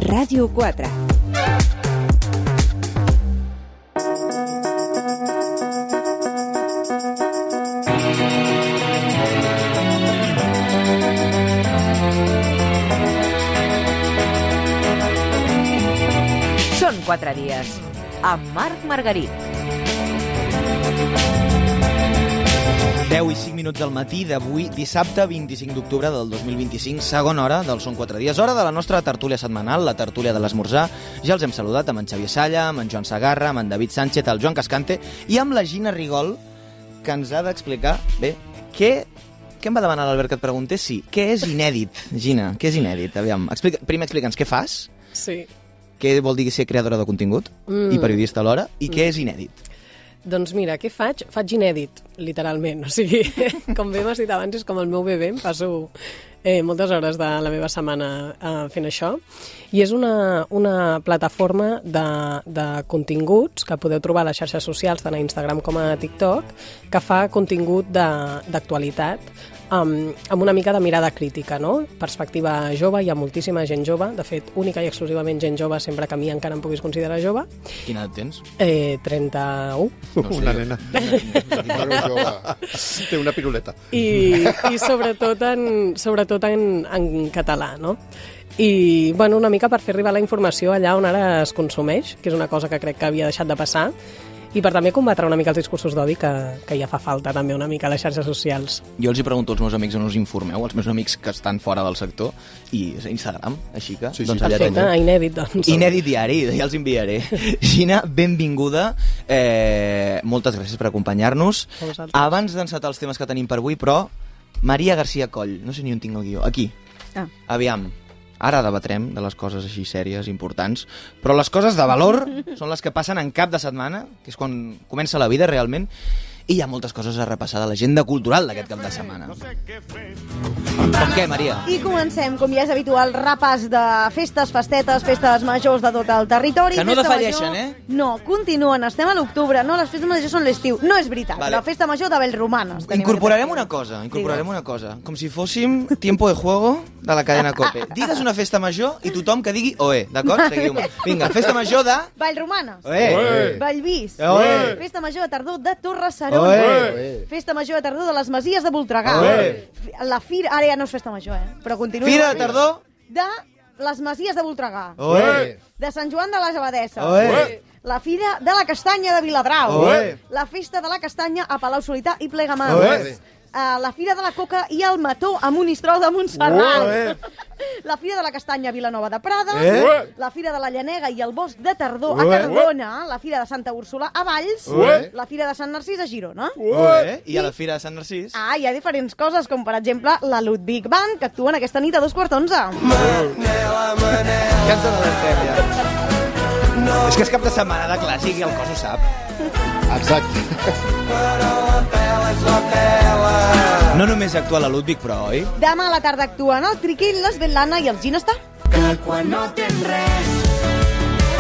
Ràdio 4. Són 4 dies, amb Marc Margarit. 10 i 5 minuts al matí d'avui, dissabte 25 d'octubre del 2025, segona hora del Són 4 dies, hora de la nostra tertúlia setmanal, la tertúlia de l'esmorzar. Ja els hem saludat amb en Xavier Salla, amb en Joan Sagarra, amb en David Sánchez, el Joan Cascante i amb la Gina Rigol, que ens ha d'explicar, bé, què em va demanar l'Albert que et preguntés? Sí, què és inèdit, Gina? Què és inèdit? Aviam, primer explica'ns què fas. Sí. Què vol dir ser creadora de contingut i periodista alhora, i què és inèdit? Doncs mira, què faig? Faig inèdit, literalment. O sigui, com bé m'has dit abans, és com el meu bebè, em passo moltes hores de la meva setmana fent això. I és una plataforma de continguts que podeu trobar a les xarxes socials, tant a Instagram com a TikTok, que fa contingut d'actualitat, amb una mica de mirada crítica, no? Perspectiva jove, hi ha moltíssima gent jove, de fet, única i exclusivament gent jove, sempre que a mi encara em puguis considerar jove. Quina edat tens? 31. No sé, una nena. Té una piruleta. I sobretot en català, no? I, bueno, una mica per fer arribar la informació allà on ara es consumeix, que és una cosa que crec que havia deixat de passar, i per també combatre una mica els discursos d'odi que ja fa falta també una mica a les xarxes socials. Jo els hi pregunto als meus amics on us informeu, als meus amics que estan fora del sector, i Instagram, així que... Sí. Doncs allà perfecte, teniu. inèdit, doncs. Inèdit diari, ja els enviaré. Gina, benvinguda. Moltes gràcies per acompanyar-nos. Abans d'encetar els temes que tenim per avui, però, Maria García Coll, no sé ni on tinc el guió, aquí. Aviam. Ara debatrem de les coses així sèries, importants, però les coses de valor són les que passen en cap de setmana, que és quan comença la vida realment, i hi ha moltes coses a repassar de l'agenda cultural d'aquest cap de setmana. Com què, Maria? I comencem, com ja és habitual, repàs de festes, festetes, festes majors de tot el territori. Que no Festa defalleixen, major... eh? No, continuen, estem a l'octubre, no, les festes majors són l'estiu. No és veritat, Vale. la festa major de Bellromanes. Incorporarem una cosa, com si fóssim tiempo de juego de la cadena COPE. Digues una festa major i tothom que digui oe, d'acord? Seguiu-me. Vinga, festa major de... Vallromanes. Oe. Vallvís. Oe. Festa major de tardor de Torre Serona. Oe. Festa major de tardor de les Masies de Voltregà. Oe. La fira... Ara ja no és festa major, però continua. Fira de tardor de les Masies de Voltregà. Oe. De Sant Joan de les Abadesses. Oe. La Fira de la Castanya de Viladrau. Oe. La Festa de la Castanya a Palau Solità i Plegamans. Oe. La Fira de la Coca i el Mató a Monistrol de Montserrat. La Fira de la Castanya a Vilanova de Prades. La Fira de la Llanega i el Bosc de Tardor a Cardona. La Fira de Santa Úrsula a Valls. La Fira de Sant Narcís a Girona. I a la Fira de Sant Narcís? Hi ha diferents coses, com per exemple la Ludwig Band, que actuen aquesta nit a 2:45. Ja ens n'adentem, ja. És que és cap de setmana de clàssic i el cos ho sap. Exacte. No només actua la Ludwig, però, oi? Demà a la tarda actuen el Triquil, l'Svetlana i el Ginestar. Que quan no tens res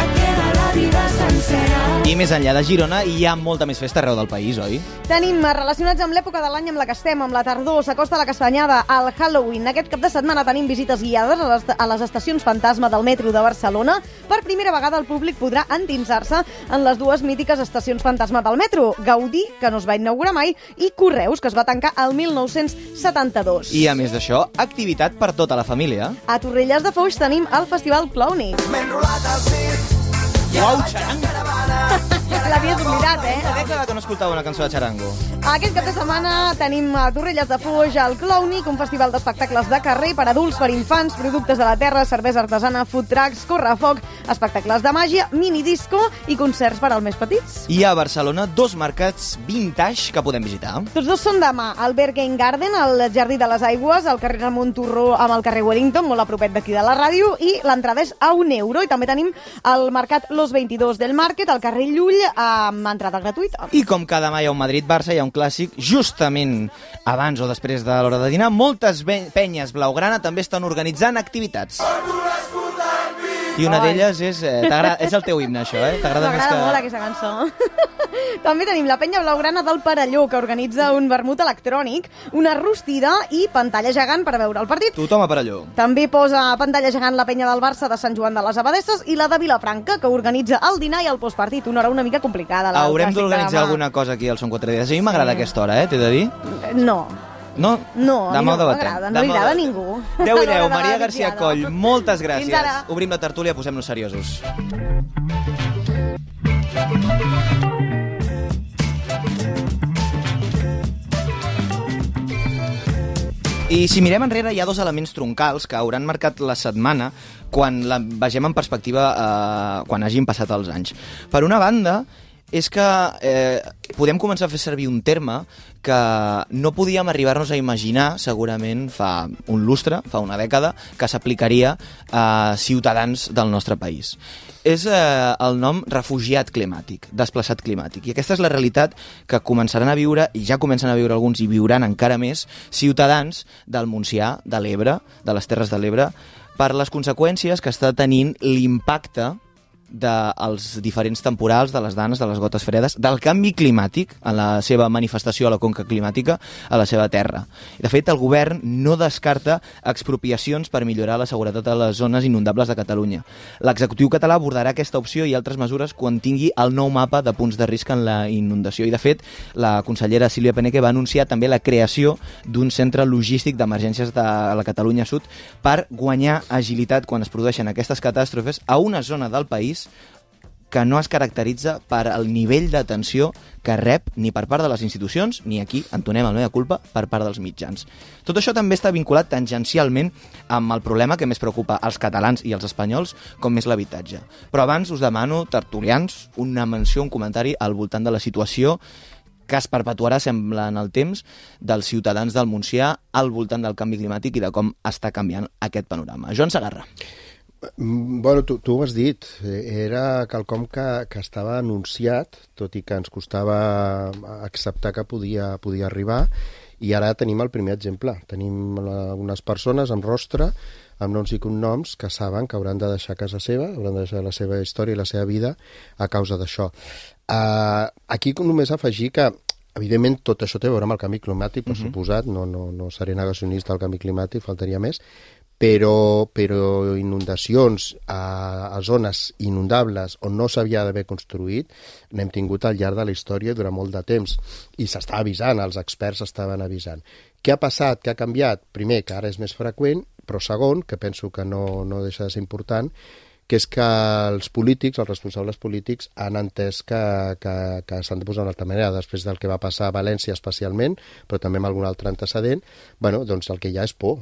et queda la vida sencera. I més enllà de Girona hi ha molta més festa arreu del país, oi? Tenim relacionats amb l'època de l'any amb la que estem, amb la tardor, s'acosta la castanyada, al Halloween. Aquest cap de setmana tenim visites guiades a les estacions fantasma del metro de Barcelona. Per primera vegada el públic podrà endinsar-se en les dues mítiques estacions fantasma del metro. Gaudí, que no es va inaugurar mai, i Correus, que es va tancar el 1972. I a més d'això, activitat per tota la família. A Torrelles de Foix tenim el Festival Clowny. Uau, xarango! L'havies oblidat, Una dècada que no escoltava una cançó de xarango. Aquest cap de setmana tenim a Torrelles de Foix el Clowny, un festival d'espectacles de carrer per adults, per infants, productes de la terra, cervesa artesana, food trucks, correfoc, espectacles de màgia, minidisco i concerts per als més petits. Hi ha a Barcelona 2 mercats vintage que podem visitar. Tots dos són demà, al Berghain Garden, al Jardí de les Aigües, al carrer Ramon Turró amb el carrer Wellington, molt a propet d'aquí de la ràdio, i l'entrada és a €1. I també tenim el mercat Los 22 del Market, al carrer Llull, amb entrada gratuïta. I com que demà hi ha un Madrid-Barça, hi ha un clàssic, justament abans o després de l'hora de dinar, moltes penyes blaugrana també estan organitzant activitats. I una d'elles és... és el teu himne, això, T'agrada més que... M'agrada molt aquesta cançó. També tenim la penya blaugrana del Perelló, que organitza un vermut electrònic, una rostida i pantalla gegant per veure el partit. Tothom a Perelló. També posa pantalla gegant la penya del Barça de Sant Joan de les Abadesses i la de Vilafranca, que organitza el dinar i el postpartit. Una hora una mica complicada. Haurem d'organitzar alguna cosa aquí al Son 4 Dies. A mi m'agrada aquesta hora, t'he de dir. No. No? No, demà no m'agrada, no li agrada a ningú. 10 i 10, Maria García Coll, moltes gràcies. Fins ara. Obrim la tertúlia, posem-nos seriosos. I si mirem enrere, hi ha dos elements troncals que hauran marcat la setmana quan la vegem en perspectiva quan hagin passat els anys. Per una banda, és que podem començar a fer servir un terme que no podíem arribar-nos a imaginar, segurament, fa un lustre, fa una dècada, que s'aplicaria a ciutadans del nostre país. És el nom refugiat climàtic, desplaçat climàtic. I aquesta és la realitat que començaran a viure, i ja comencen a viure alguns i viuran encara més, ciutadans del Montsià, de l'Ebre, de les Terres de l'Ebre, per les conseqüències que està tenint l'impacte dels diferents temporals, de les danes, de les gotes fredes, del canvi climàtic en la seva manifestació a la conca climàtica a la seva terra. De fet, el govern no descarta expropiacions per millorar la seguretat a les zones inundables de Catalunya. L'executiu català abordarà aquesta opció i altres mesures quan tingui el nou mapa de punts de risc en la inundació. I, de fet, la consellera Sílvia Peneque va anunciar també la creació d'un centre logístic d'emergències de la Catalunya Sud per guanyar agilitat quan es produeixen aquestes catàstrofes a una zona del país que no es caracteritza per el nivell d'atenció que rep ni per part de les institucions, ni aquí, entonem el mea culpa, per part dels mitjans. Tot això també està vinculat tangencialment amb el problema que més preocupa als catalans i als espanyols, com és l'habitatge. Però abans us demano, tertulians, una menció, un comentari al voltant de la situació que es perpetuarà, sembla, en el temps, dels ciutadans del Montsià al voltant del canvi climàtic i de com està canviant aquest panorama. Joan Segarra. Bueno, tu ho has dit, era quelcom que estava anunciat, tot i que ens costava acceptar que podia arribar, i ara tenim el primer exemple. Tenim unes persones amb rostre, amb noms i cognoms, que saben que hauran de deixar casa seva, hauran de deixar la seva història i la seva vida a causa d'això. Aquí només afegir que, evidentment, tot això té a veure amb el canvi climàtic, per suposat, no seré negacionista del canvi climàtic, faltaria més, però inundacions a zones inundables on no s'havia d'haver construït n'hem tingut al llarg de la història durant molt de temps i s'està avisant, els experts estaven avisant. Què ha passat? Què ha canviat? Primer, que ara és més freqüent, però segon, que penso que no deixa de ser important, que és que els polítics, els responsables polítics, han entès que s'han de posar d'una altra manera. Després del que va passar a València especialment, però també amb algun altre antecedent, bueno, doncs el que hi ha és por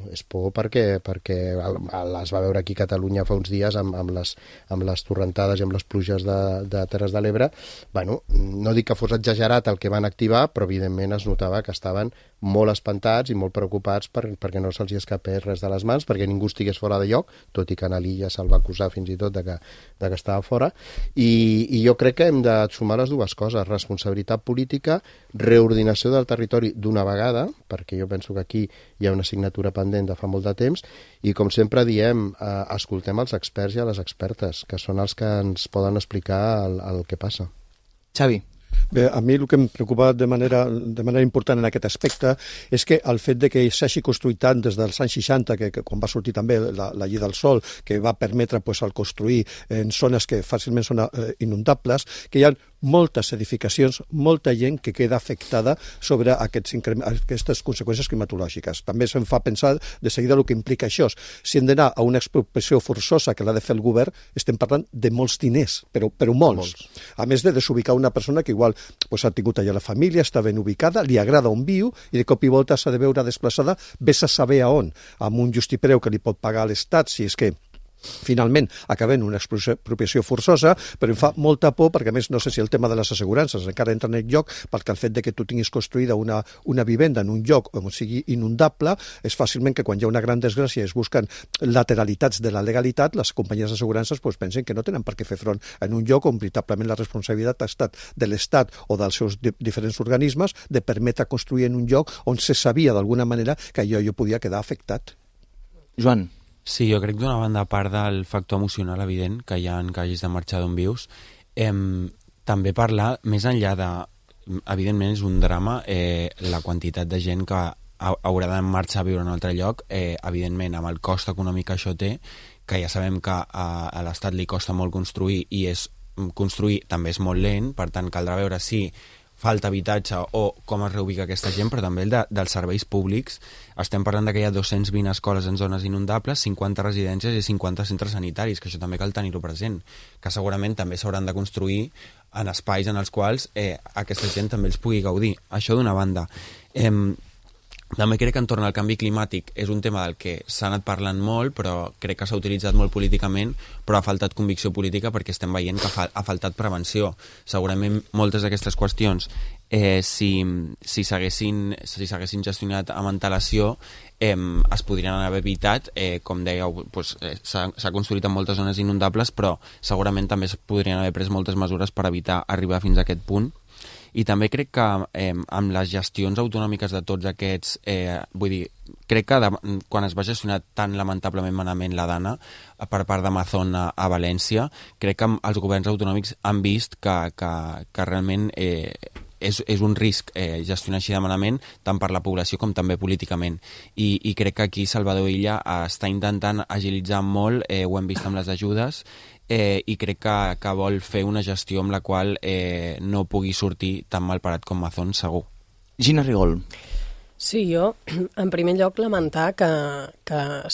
perquè es va veure aquí a Catalunya fa uns dies amb les torrentades i amb les pluges de Terres de l'Ebre. Bueno, no dic que fos exagerat el que van activar, però evidentment es notava que estaven molt espantats i molt preocupats perquè no se'ls escapés res de les mans, perquè ningú estigués fora de lloc, tot i que a l'illa se'l va acusar fins i tot de que estava fora, i jo crec que hem de sumar les dues coses, responsabilitat política, reordinació del territori d'una vegada, perquè jo penso que aquí hi ha una assignatura pendent de fa molt de temps, i com sempre diem, escoltem els experts i a les expertes, que són els que ens poden explicar el que passa. Xavi. Bé, a mi el que em preocupa de manera important en aquest aspecte és que el fet de que s'hagi construït tant des dels anys 60, que quan va sortir també la llei del sòl, que va permetre el construir en zones que fàcilment són inundables, que hi ha moltes edificacions, molta gent que queda afectada sobre aquestes conseqüències climatològiques. També se'm fa pensar de seguida el que implica això. Si hem d'anar a una expropiació forçosa que l'ha de fer el govern, estem parlant de molts diners, però molts. A més de desubicar una persona que igual ha tingut allà la família, està ben ubicada, li agrada on viu i de cop i volta s'ha de veure desplaçada, vés a saber a on, amb un justipreu que li pot pagar l'Estat, si és que finalment acabem una expropiació forçosa, però em fa molta por perquè, a més, no sé si el tema de les assegurances encara entra en el lloc, perquè el fet de que tu tinguis construïda una vivenda en un lloc on sigui inundable és fàcilment que quan hi ha una gran desgràcia es busquen lateralitats de la legalitat, les companyies d'assegurances pensen que no tenen per què fer front en un lloc on veritablement la responsabilitat ha estat de l'Estat o dels seus diferents organismes de permetre construir en un lloc on se sabia d'alguna manera que allò podia quedar afectat. Joan. Sí, jo crec d'una banda, a part del factor emocional evident que hi ha en que hagis de marxar d'on vius, també parlar, més enllà de... Evidentment és un drama la quantitat de gent que haurà de marxar a viure en un altre lloc, evidentment amb el cost econòmic que això té, que ja sabem que a l'Estat li costa molt construir i construir també és molt lent, per tant caldrà veure si falta habitatge o com es reubica aquesta gent, però també dels serveis públics. Estem parlant que hi ha 220 escoles en zones inundables, 50 residències i 50 centres sanitaris, que això també cal tenir-ho present, que segurament també s'hauran de construir en espais en els quals aquesta gent també els pugui gaudir. Això d'una banda. També crec que entorn al canvi climàtic és un tema del que s'ha anat parlant molt, però crec que s'ha utilitzat molt políticament, però ha faltat convicció política perquè estem veient que ha faltat prevenció. Segurament moltes d'aquestes qüestions, si s'haguessin gestionat amb antelació, es podrien haver evitat. Com dèieu, s'ha construït en moltes zones inundables, però segurament també es podrien haver pres moltes mesures per evitar arribar fins a aquest punt. I també crec que amb les gestions autonòmiques de tots aquests, vull dir, crec que quan es va gestionar tan lamentablement malament la Dana per part d'Amazon a València, crec que els governs autonòmics han vist que realment és un risc gestionar així de malament, tant per la població com també políticament. I crec que aquí Salvador Illa està intentant agilitzar molt, ho hem vist amb les ajudes, i crec que vol fer una gestió amb la qual no pugui sortir tan mal parat com Amazon, segur. Gina Rigol. Sí, jo, en primer lloc, lamentar que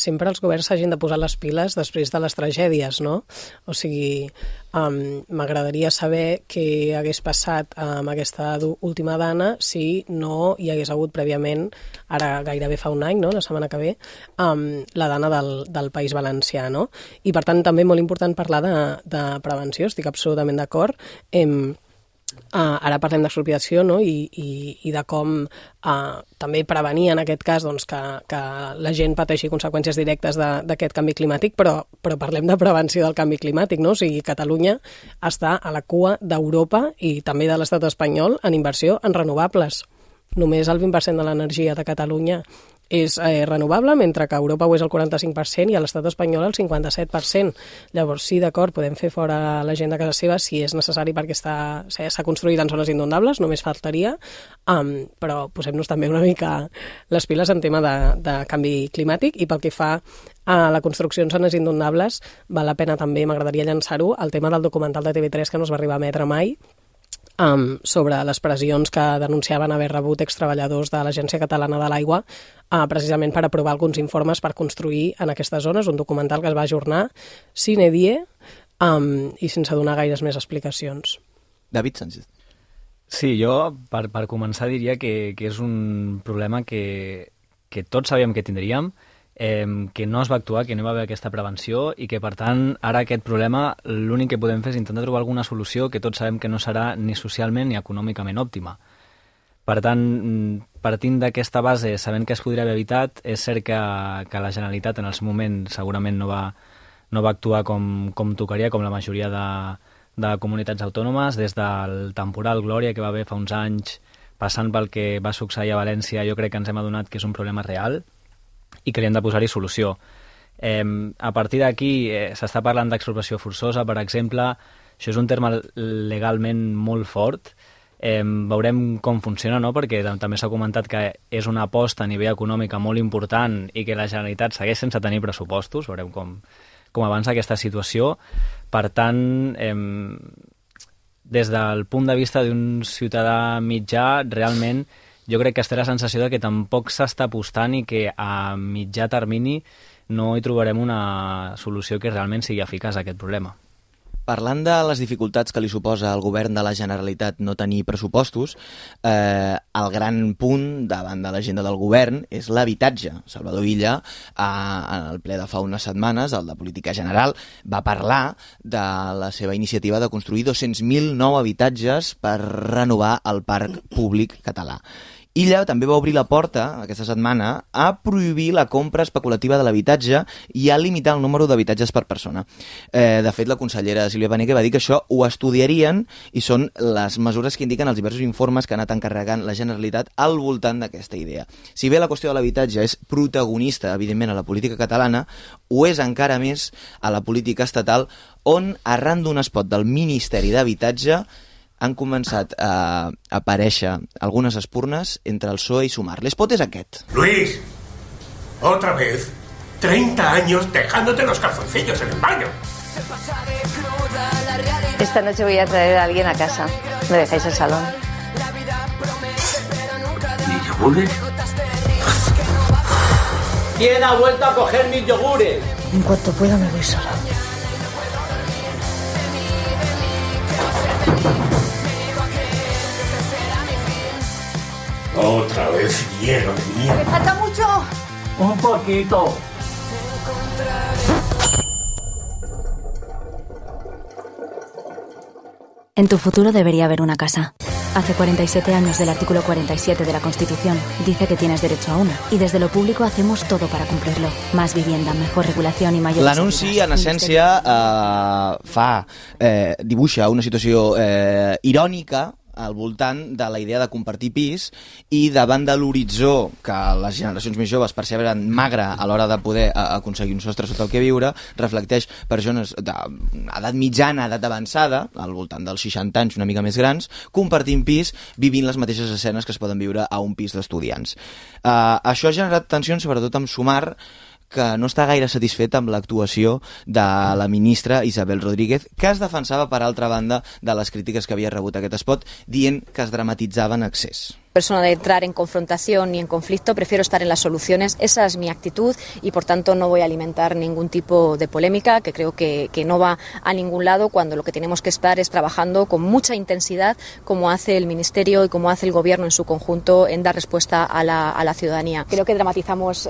sempre els governs s'hagin de posar les piles després de les tragèdies, no? O sigui, m'agradaria saber què hagués passat amb aquesta última Dana si no hi hagués hagut prèviament, ara gairebé fa un any, no?, la setmana que ve, la Dana del País Valencià, no? I, per tant, també molt important parlar de prevenció, estic absolutament d'acord. Ara parlem d'expropiació, no? I de com també prevenir en aquest cas doncs, que la gent pateixi conseqüències directes d'aquest canvi climàtic, però parlem de prevenció del canvi climàtic, no? O sigui, Catalunya està a la cua d'Europa i també de l'estat espanyol en inversió en renovables. Només el 20% de l'energia de Catalunya és renovable, mentre que a Europa ho és el 45% i a l'estat espanyol el 57%. Llavors, sí, d'acord, podem fer fora la gent de casa seva si és necessari perquè s'ha construït en zones inundables, només faltaria, però posem-nos també una mica les piles en tema de canvi climàtic. I pel que fa a la construcció en zones inundables, val la pena també, m'agradaria llançar-ho, el tema del documental de TV3 que no es va arribar a emetre mai, sobre les pressions que denunciaven haver rebut extreballadors de l'Agència Catalana de l'Aigua, precisament per aprovar alguns informes per construir en aquestes zones, un documental que es va ajornar sine die i sense donar gaires més explicacions. David Sánchez. Sí, jo per començar diria que és un problema que tots sabíem que tindríem, que no es va actuar, que no hi va haver aquesta prevenció i que, per tant, ara aquest problema l'únic que podem fer és intentar trobar alguna solució que tots sabem que no serà ni socialment ni econòmicament òptima. Per tant, partint d'aquesta base, sabent que es podria haver evitat, és cert que la Generalitat en el seu moment segurament no va actuar com tocaria, com la majoria de comunitats autònomes, des del temporal Glòria que va haver fa uns anys, passant pel que va succeir a València, jo crec que ens hem adonat que és un problema real i que li hem de posar-hi solució. A partir d'aquí s'està parlant d'expropiació forçosa, per exemple. Això és un terme legalment molt fort. Veurem com funciona, no? Perquè també s'ha comentat que és una aposta a nivell econòmica molt important i que la Generalitat segueix sense tenir pressupostos. Veurem com avança aquesta situació. Per tant, des del punt de vista d'un ciutadà mitjà, realment jo crec que es té la sensació de que tampoc s'està apostant i que a mitjà termini no hi trobarem una solució que realment sigui eficaç a aquest problema. Parlant de les dificultats que li suposa al govern de la Generalitat no tenir pressupostos, el gran punt davant de l'agenda del govern és l'habitatge. Salvador Illa, en el ple de fa unes setmanes, el de Política General, va parlar de la seva iniciativa de construir 200.000 nous habitatges per renovar el parc públic català. Illa també va obrir la porta, aquesta setmana, a prohibir la compra especulativa de l'habitatge i a limitar el número d'habitatges per persona. De fet, la consellera Sílvia Paneque va dir que això ho estudiarien i són les mesures que indiquen els diversos informes que ha anat encarregant la Generalitat al voltant d'aquesta idea. Si bé la qüestió de l'habitatge és protagonista, evidentment, a la política catalana, ho és encara més a la política estatal, on, arran d'un espot del Ministeri d'Habitatge, han començat a aparèixer algunes espurnes entre el PSOE i Sumar. L'espot és aquest. Luis, otra vez, 30 años dejándote los calzoncillos en el baño. Esta noche voy a traer a alguien a casa. ¿Me dejáis el salón? ¿Mis yogures? ¿Quién ha vuelto a coger mis yogures? En cuanto pueda me voy sola. Otra vez hielo de mierda. ¿Me falta mucho? Un poquito. En tu futuro debería haber una casa. Hace 47 años del artículo 47 de la Constitución dice que tienes derecho a una. Y desde lo público hacemos todo para cumplirlo. Más vivienda, mejor regulación y mayor... L'anunci, en essència, dibuixa una situació irònica al voltant de la idea de compartir pis i davant de l'horitzó que les generacions més joves perceben magre a l'hora de poder aconseguir un sostre sota el que viure, reflecteix persones d'edat mitjana, edat avançada, al voltant dels 60 anys, una mica més grans, compartint pis, vivint les mateixes escenes que es poden viure a un pis d'estudiants. Això ha generat tensions, sobretot amb Sumar, que no està gaire satisfet amb l'actuació de la ministra Isabel Rodríguez, que es defensava, per altra banda, de les crítiques que havia rebut aquest espot, dient que es dramatitzava en excés. Persona de entrar en confrontación ni en conflicto, prefiero estar en las soluciones, esa es mi actitud y por tanto no voy a alimentar ningún tipo de polémica que creo que no va a ningún lado cuando lo que tenemos que estar es trabajando con mucha intensidad como hace el Ministerio y como hace el Gobierno en su conjunto en dar respuesta a la ciudadanía. Creo que dramatizamos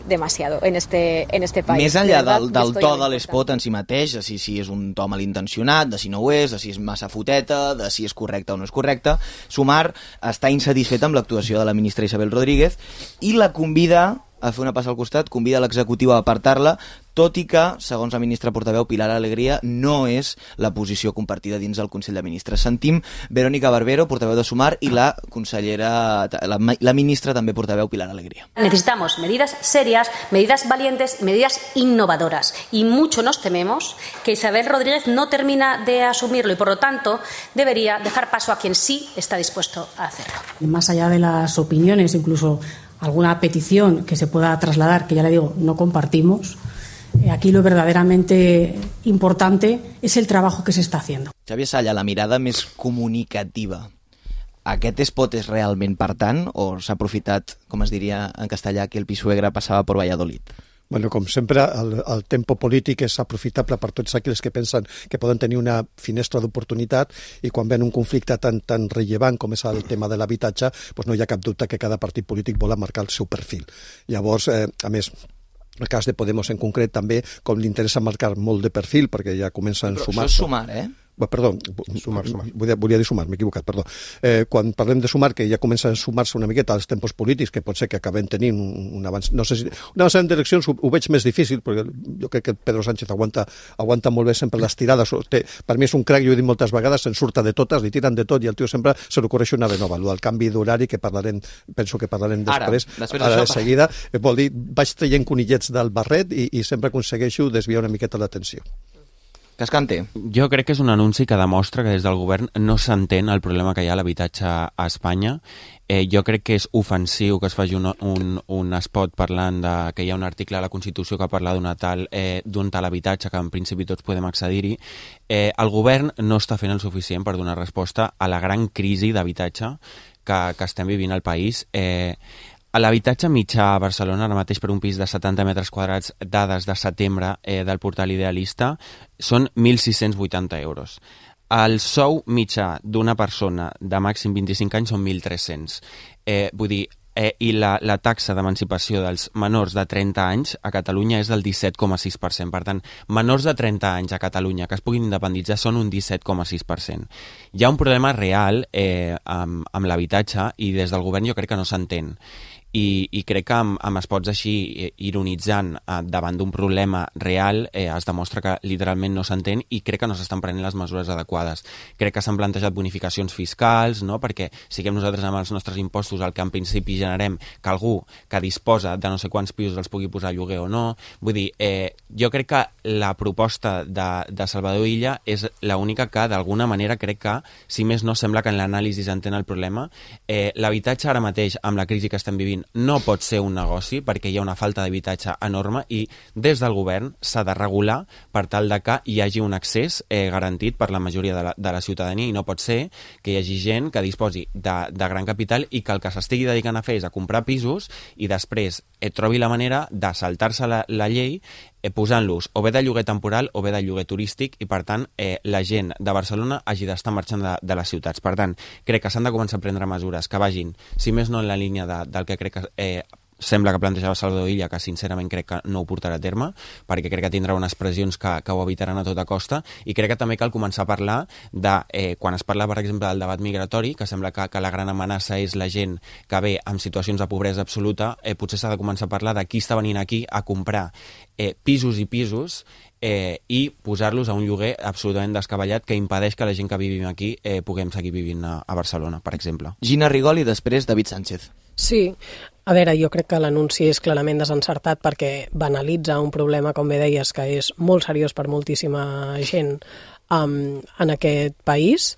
demasiado en este país. Més enllà del to de l'espot en si mateix, de si és un to malintencionat, de si no ho és, de si és massa foteta, de si és correcte o no és correcte, Sumar està insatisfet amb l'actuació de la ministra Isabel Rodríguez i la convida a fer una passa al costat, convida l'executiu a apartar-la, tot i que, segons la ministra portaveu Pilar Alegría, no és la posició compartida dins del Consell de Ministres. Sentim Verónica Barbero, portaveu de Sumar, i la consellera, la ministra també portaveu Pilar Alegría. Necesitamos medidas serias, medidas valientes, medidas innovadoras. Y mucho nos tememos que Isabel Rodríguez no termina de asumirlo y, por lo tanto, debería dejar paso a quien sí está dispuesto a hacerlo. Más allá de las opiniones, incluso alguna petición que se pueda trasladar, que ya le digo, no compartimos, aquí lo verdaderamente importante es el trabajo que se está haciendo. Xavier Salla, la mirada més comunicativa. Aquest espot és realment per tant o s'ha aprofitat, com es diria en castellà, que el Pisuegra passava per Valladolid? Bueno, com sempre, el tempo polític és aprofitable per tots aquells que pensen que poden tenir una finestra d'oportunitat i quan ven un conflicte tan rellevant com és el tema de l'habitatge, doncs no hi ha cap dubte que cada partit polític vol marcar el seu perfil. Llavors, a més, el cas de Podemos en concret també, com li interessa marcar molt de perfil, perquè ja comencen a sumar... Però això és Sumar, eh? Perdó, volia dir Sumar, m'he equivocat, perdó. Quan parlem de Sumar, que ja comença a sumar-se una miqueta als tempos polítics, que pot ser que acabem tenint un avanç... No sé si... Un avanç en direccions ho veig més difícil, perquè jo crec que Pedro Sánchez aguanta molt bé sempre les tirades. Per mi és un crac, jo he dit moltes vegades, se'n surta de totes, li tiren de tot, i el tio sempre se l'ocorreix una de nova. El canvi d'horari, que parlarem, penso que parlarem després de seguida, vol dir, vaig traient conillets del barret i sempre aconsegueixo desviar una miqueta l'atenció. Cascante. Jo crec que és un anunci que demostra que des del govern no s'entén el problema que hi ha a l'habitatge a Espanya. Jo crec que és ofensiu que es faci un spot parlant que hi ha un article a la Constitució que parla d'un tal habitatge que en principi tots podem accedir-hi. El govern no està fent el suficient per donar resposta a la gran crisi d'habitatge que estem vivint al país. L'habitatge mitjà a Barcelona ara mateix per un pis de 70 metres quadrats, dades de setembre del portal Idealista, són 1.680 euros. El sou mitjà d'una persona de màxim 25 anys són 1.300. Vull dir, i la taxa d'emancipació dels menors de 30 anys a Catalunya és del 17,6%. Per tant, menors de 30 anys a Catalunya que es puguin independitzar són un 17,6%. Hi ha un problema real amb l'habitatge i des del govern jo crec que no s'entén. I crec que amb espots així ironitzant davant d'un problema real es demostra que literalment no s'entén i crec que no s'estan prenent les mesures adequades. Crec que s'han plantejat bonificacions fiscals, no? Perquè siguem nosaltres amb els nostres impostos el que en principi generem que algú que disposa de no sé quants pisos els pugui posar a lloguer o no. Vull dir, jo crec que la proposta de Salvador Illa és l'única que d'alguna manera crec que, si més no, sembla que en l'anàlisi s'entén el problema. L'habitatge ara mateix, amb la crisi que estem vivint, no pot ser un negoci perquè hi ha una falta d'habitatge enorme i des del govern s'ha de regular per tal de que hi hagi un accés garantit per la majoria de la ciutadania i no pot ser que hi hagi gent que disposi de gran capital i que el que s'estigui dedicant a fer és a comprar pisos i després trobi la manera de saltar-se la llei posant-los o bé de lloguer temporal o bé de lloguer turístic i, per tant, la gent de Barcelona hagi d'estar marxant de les ciutats. Per tant, crec que s'han de començar a prendre mesures que vagin, si més no en la línia del que crec que sembla que plantejava Salvador Illa, que sincerament crec que no ho portarà a terme, perquè crec que tindrà unes pressions que ho evitaran a tota costa, i crec que també cal començar a parlar de, quan es parla, per exemple, del debat migratori, que sembla que la gran amenaça és la gent que ve en situacions de pobresa absoluta, potser s'ha de començar a parlar de qui està venint aquí a comprar pisos i pisos i posar-los a un lloguer absolutament descabellat que impedeix que la gent que vivim aquí puguem seguir vivint a Barcelona, per exemple. Gina Rigol i després David Sánchez. Sí, a veure, jo crec que l'anunci és clarament desencertat perquè banalitza un problema, com bé deies, que és molt seriós per moltíssima gent en aquest país,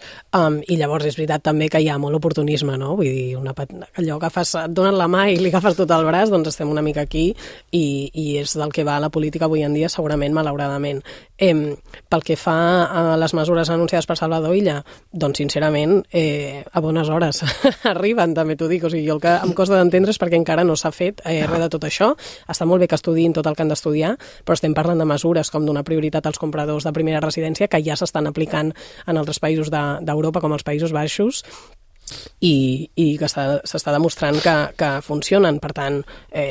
i llavors és veritat també que hi ha molt oportunisme, no? Vull dir, allò que fas, et donen la mà i li agafes tot el braç, doncs estem una mica aquí i és del que va la política avui en dia, segurament, malauradament. Pel que fa a les mesures anunciades per Salvador Illa, doncs sincerament a bones hores arriben, també t'ho dic, o sigui, el que em costa d'entendre és perquè encara no s'ha fet res de tot això. Està molt bé que estudiïn tot el que han d'estudiar, però estem parlant de mesures com donar prioritat als compradors de primera residència que ja s'estan aplicant en altres països d'Europa, com els Països Baixos, i que s'està demostrant que funcionen. Per tant,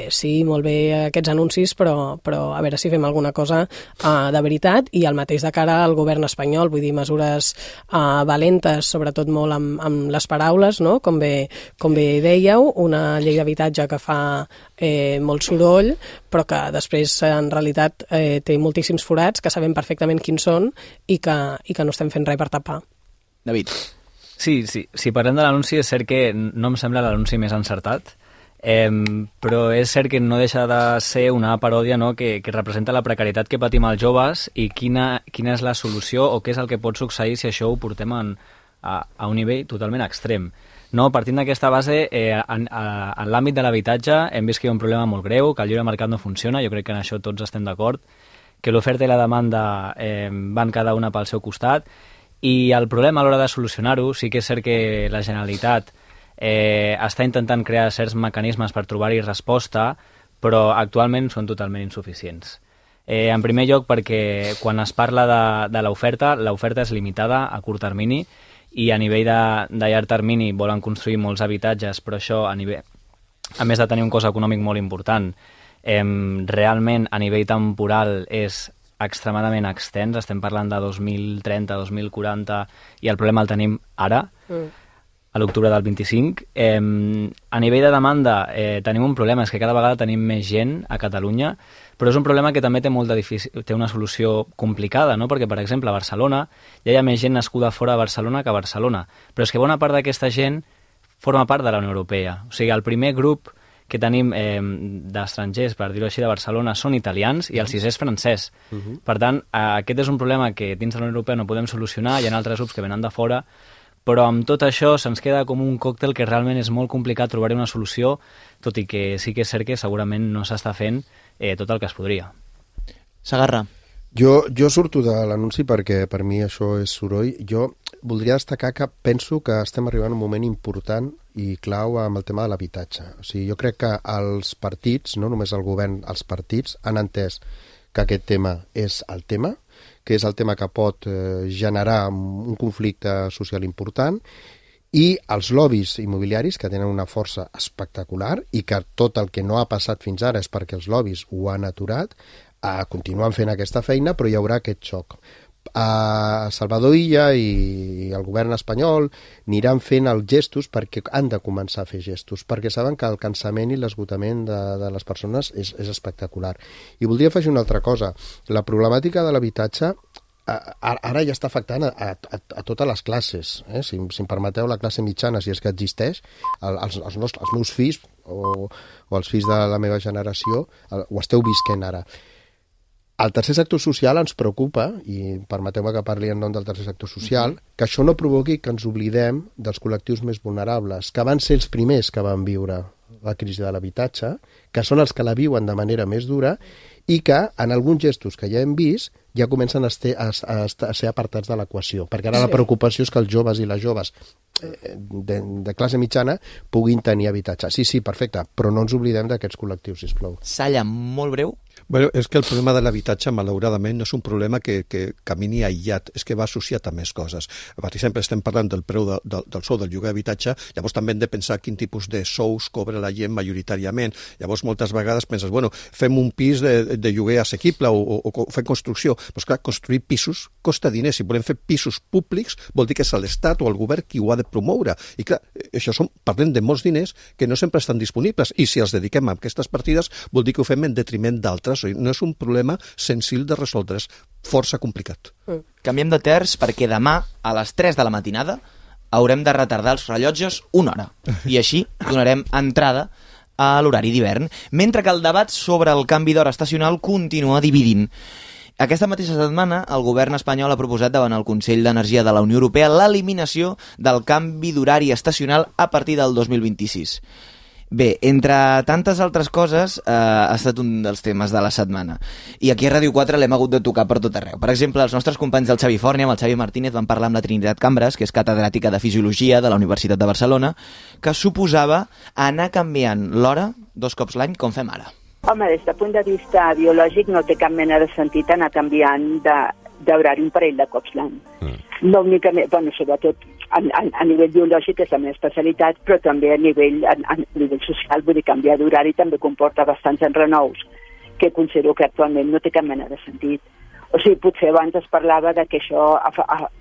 sí, molt bé aquests anuncis, però a veure si fem alguna cosa de veritat, i el mateix de cara al govern espanyol, vull dir, mesures valentes, sobretot molt amb les paraules, no? Com bé dèieu, una llei d'habitatge que fa molt soroll, però que després en realitat té moltíssims forats que sabem perfectament quins són i que no estem fent res per tapar. David. Sí, si parlem de l'anunci, és cert que no em sembla l'anunci més encertat, però és cert que no deixa de ser una paròdia, no?, que representa la precarietat que patim els joves i quina és la solució o què és el que pot succeir si això ho portem a un nivell totalment extrem. No, partint d'aquesta base, en l'àmbit de l'habitatge hem vist que hi ha un problema molt greu, que el lliure mercat no funciona, jo crec que en això tots estem d'acord, que l'oferta i la demanda van cada una pel seu costat, i el problema a l'hora de solucionar-ho sí que és cert que la Generalitat està intentant crear certs mecanismes per trobar-hi resposta, però actualment són totalment insuficients. En primer lloc perquè quan es parla de l'oferta és limitada a curt termini i a nivell de llarg termini volen construir molts habitatges, però això a més de tenir un cost econòmic molt important, realment a nivell temporal és extremadament extens, estem parlant de 2030, 2040, i el problema el tenim ara, a l'octubre del 25. A nivell de demanda tenim un problema, és que cada vegada tenim més gent a Catalunya, però és un problema que també té una solució complicada, no? Perquè, per exemple, a Barcelona ja hi ha més gent nascuda fora de Barcelona que a Barcelona, però és que bona part d'aquesta gent forma part de la Unió Europea. O sigui, el primer grup que tenim d'estrangers, per dir-ho així, de Barcelona, són italians i el 6è és francès. Per tant, aquest és un problema que dins de la Unió Europea no podem solucionar, hi ha altres grups que venen de fora, però amb tot això se'ns queda com un còctel que realment és molt complicat trobar-hi una solució, tot i que sí que és cert que segurament no s'està fent tot el que es podria. Sagarra. Jo surto de l'anunci perquè per mi això és soroll. Jo voldria destacar que penso que estem arribant a un moment important i clau amb el tema de l'habitatge. O sigui, jo crec que els partits, no només el govern, els partits han entès que aquest tema és el tema, que és el tema que pot generar un conflicte social important i els lobbies immobiliaris, que tenen una força espectacular i que tot el que no ha passat fins ara és perquè els lobbies ho han aturat, continuen fent aquesta feina, però hi haurà aquest xoc. Salvador Illa i el govern espanyol aniran fent els gestos perquè han de començar a fer gestos, perquè saben que el cansament i l'esgotament de les persones és espectacular. I voldria afegir una altra cosa. La problemàtica de l'habitatge ara ja està afectant a totes les classes. Si em permeteu, la classe mitjana, si és que existeix, els meus fills o els fills de la meva generació ho esteu visquent ara. El tercer sector social ens preocupa, i permeteu-me que parli en nom del tercer sector social, que això no provoqui que ens oblidem dels col·lectius més vulnerables, que van ser els primers que van viure la crisi de l'habitatge, que són els que la viuen de manera més dura i que, en alguns gestos que ja hem vist, ja comencen a ser apartats de l'equació, perquè ara la preocupació és que els joves i les joves de classe mitjana puguin tenir habitatge. Sí, perfecte, però no ens oblidem d'aquests col·lectius, sisplau. Salla, molt breu. Bueno, és que el problema de l'habitatge, malauradament, no és un problema que camini aïllat, és que va associat a més coses. Per exemple, estem parlant del preu del sou del lloguer d'habitatge, llavors també hem de pensar quin tipus de sous cobra la gent majoritàriament. Llavors, moltes vegades penses, bueno, fem un pis de lloguer assequible o fem construcció. Però, clar, construir pisos costa diners. Si volem fer pisos públics, vol dir que és l'Estat o el govern qui ho ha de promoure. I, clar, això parlem de molts diners que no sempre estan disponibles. I si els dediquem a aquestes partides, vol dir que ho fem en detriment d'altres. No és un problema senzill de resoldre, és força complicat. Canviem de terç perquè demà a les 3 de la matinada haurem de retardar els rellotges una hora i així donarem entrada a l'horari d'hivern, mentre que el debat sobre el canvi d'hora estacional continua dividint. Aquesta mateixa setmana, el govern espanyol ha proposat davant el Consell d'Energia de la Unió Europea l'eliminació del canvi d'horari estacional a partir del 2026. Bé, entre tantes altres coses, ha estat un dels temes de la setmana. I aquí a Ràdio 4 l'hem hagut de tocar per tot arreu. Per exemple, els nostres companys del Xavi Forni, amb el Xavi Martínez, van parlar amb la Trinitat Cambres, que és catedràtica de Fisiologia de la Universitat de Barcelona, que suposava anar canviant l'hora 2 cops l'any, com fem ara. Home, des del punt de vista biològic no té cap mena de sentit anar canviant d'horari un parell de cops l'any. No únicament, bueno, sobretot a nivell biològic és la meva especialitat, però també a nivell social, vull dir, canviar d'horari també comporta bastants enrenous, que considero que actualment no té cap mena de sentit. O sigui, potser abans es parlava de que això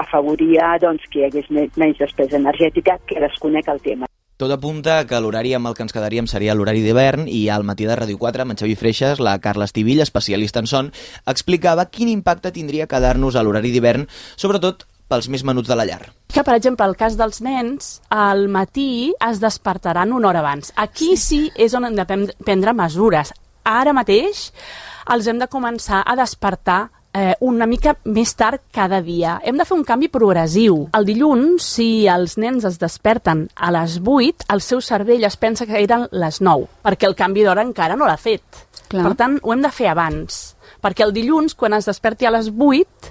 afavoria doncs, que hi hagués menys despesa energètica, que desconec el tema. Tot apunta que l'horari amb el que ens quedaríem seria l'horari d'hivern i al matí de Ràdio 4, amb en Xavi Freixas, la Carla Estivill, especialista en son, explicava quin impacte tindria quedar-nos a l'horari d'hivern, sobretot pels més menuts de la llar. Que, per exemple, el cas dels nens, al matí es despertaran una hora abans. Aquí sí és on hem de prendre mesures. Ara mateix els hem de començar a despertar una mica més tard cada dia. Hem de fer un canvi progressiu. El dilluns, si els nens es desperten a les 8, el seu cervell es pensa que eren les 9, perquè el canvi d'hora encara no l'ha fet. Clar. Per tant, ho hem de fer abans, perquè el dilluns, quan es desperti a les 8,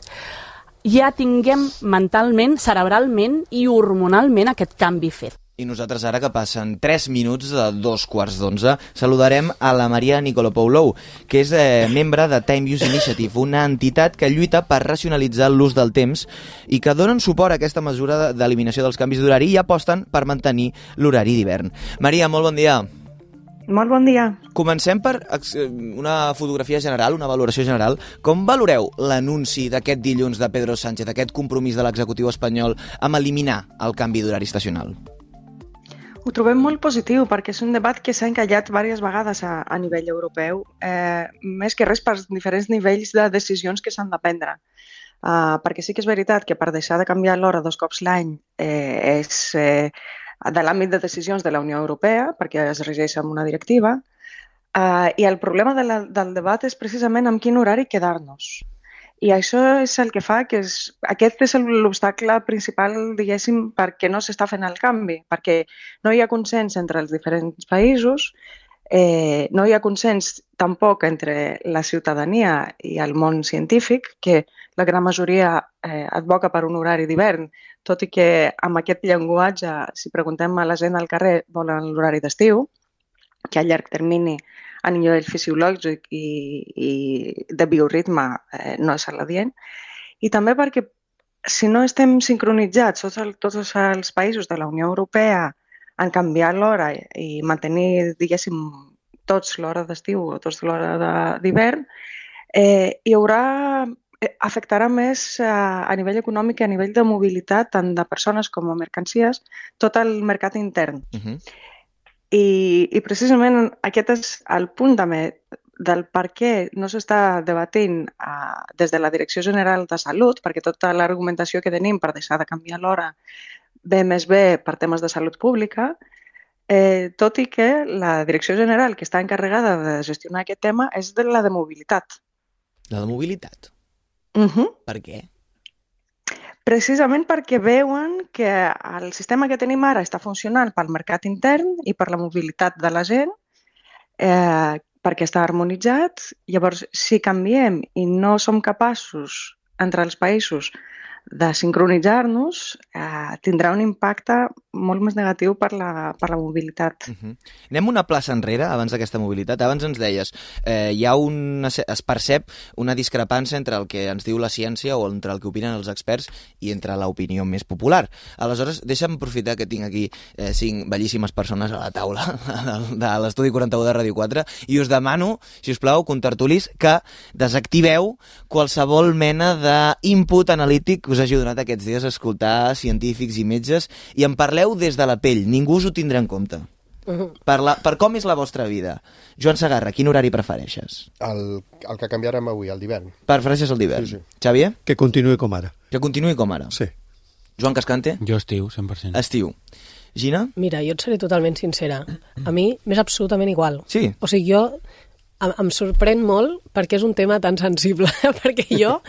ja tinguem mentalment, cerebralment i hormonalment aquest canvi fet. I nosaltres ara, que passen 3 minuts de 2:45, saludarem a la Maria Nicolopoulou, que és membre de Time Use Initiative, una entitat que lluita per racionalitzar l'ús del temps i que donen suport a aquesta mesura d'eliminació dels canvis d'horari i aposten per mantenir l'horari d'hivern. Maria, molt bon dia. Molt bon dia. Comencem per una fotografia general, una valoració general. Com valoreu l'anunci d'aquest dilluns de Pedro Sánchez, aquest compromís de l'executiu espanyol amb eliminar el canvi d'horari estacional? Ho trobem molt positiu perquè és un debat que s'ha encallat diverses vegades a nivell europeu, més que res per diferents nivells de decisions que s'han de prendre. Perquè sí que és veritat que per deixar de canviar l'hora 2 cops l'any és de l'àmbit de decisions de la Unió Europea, perquè es regeix amb una directiva, i el problema del debat és precisament amb quin horari quedar-nos. I això és el que fa que aquest és l'obstacle principal, diguéssim, perquè no s'està fent el canvi, perquè no hi ha consens entre els diferents països, no hi ha consens tampoc entre la ciutadania i el món científic, que la gran majoria advoca per un horari d'hivern, tot i que amb aquest llenguatge, si preguntem a la gent al carrer, volen l'horari d'estiu, que a llarg termini a nivell fisiològic i de bioritme no és adient, i també perquè si no estem sincronitzats tots els països de la Unió Europea en canviar l'hora i mantenir, diguéssim, tots l'hora d'estiu o tots l'hora d'hivern, hi haurà afectarà més a nivell econòmic i a nivell de mobilitat, tant de persones com de mercancies, tot el mercat intern. I precisament aquest és el punt també del per què no s'està debatint des de la Direcció General de Salut, perquè tota l'argumentació que tenim per deixar de canviar l'hora ve més bé per temes de salut pública, tot i que la Direcció General que està encarregada de gestionar aquest tema és de la de mobilitat. La de mobilitat? Per què? Precisament perquè veuen que el sistema que tenim ara està funcionant pel mercat intern i per la mobilitat de la gent, perquè està harmonitzat. Llavors, si canviem i no som capaços entre els països de sincronitzar-nos, tindrà un impacte molt més negatiu per la mobilitat. Anem una plaça enrere, abans d'aquesta mobilitat. Abans ens deies, es percep una discrepància entre el que ens diu la ciència o entre el que opinen els experts i entre l'opinió més popular. Aleshores, deixa'm aprofitar que tinc aquí 5 bellíssimes persones a la taula de l'Estudi 41 de Ràdio 4 i us demano, si us plau, contertulis, que desactiveu qualsevol mena d'input analític que us hagi donat aquests dies a escoltar científics i metges i en parleu des de la pell, ningú us ho tindrà en compte. Per com és la vostra vida. Joan Segarra, quin horari prefereixes? El que canviarem avui, el d'hivern. Prefereixes el d'hivern? Sí. Xavier? Que continuï com ara. Que continuï com ara? Sí. Joan Cascante? Jo estiu, 100%. Estiu. Gina? Mira, jo et seré totalment sincera. A mi m'és absolutament igual. Sí? O sigui, jo em sorprèn molt perquè és un tema tan sensible, perquè jo,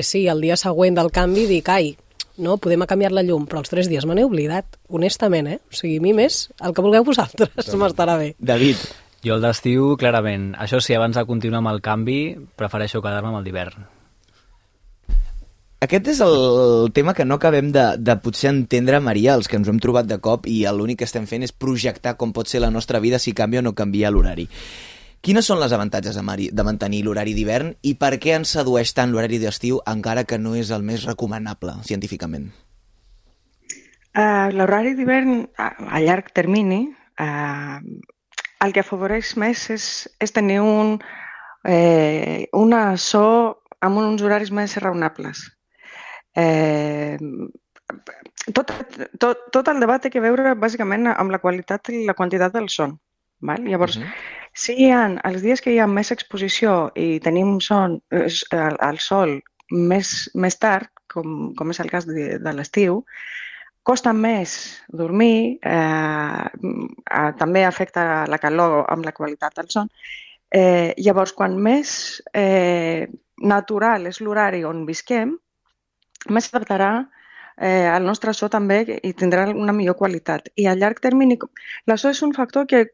sí, el dia següent del canvi dic, no, podem canviar la llum, però els 3 dies me n'he oblidat, honestament, O sigui, a mi més, el que vulgueu vosaltres m'estarà bé. David? Jo el d'estiu, clarament. Això sí, abans de continuar amb el canvi, prefereixo quedar-me amb el d'hivern. Aquest és el tema que no acabem de potser entendre, Maria, els que ens ho hem trobat de cop i l'únic que estem fent és projectar com pot ser la nostra vida si canvia o no canvia l'horari. Quines són les avantatges de mantenir l'horari d'hivern i per què ens sedueix tant l'horari d'estiu encara que no és el més recomanable científicament? L'horari d'hivern a llarg termini el que afavoreix més és tenir una so amb uns horaris més raonables. Tot el debat té a veure bàsicament amb la qualitat i la quantitat del son. Llavors, si hi ha els dies que hi ha més exposició i tenim el sol més tard, com és el cas de l'estiu, costa més dormir, també afecta la calor amb la qualitat del son. Llavors, quan més natural és l'horari on visquem, més s'adaptarà el nostre so també i tindrà una millor qualitat. I a llarg termini, la so és un factor que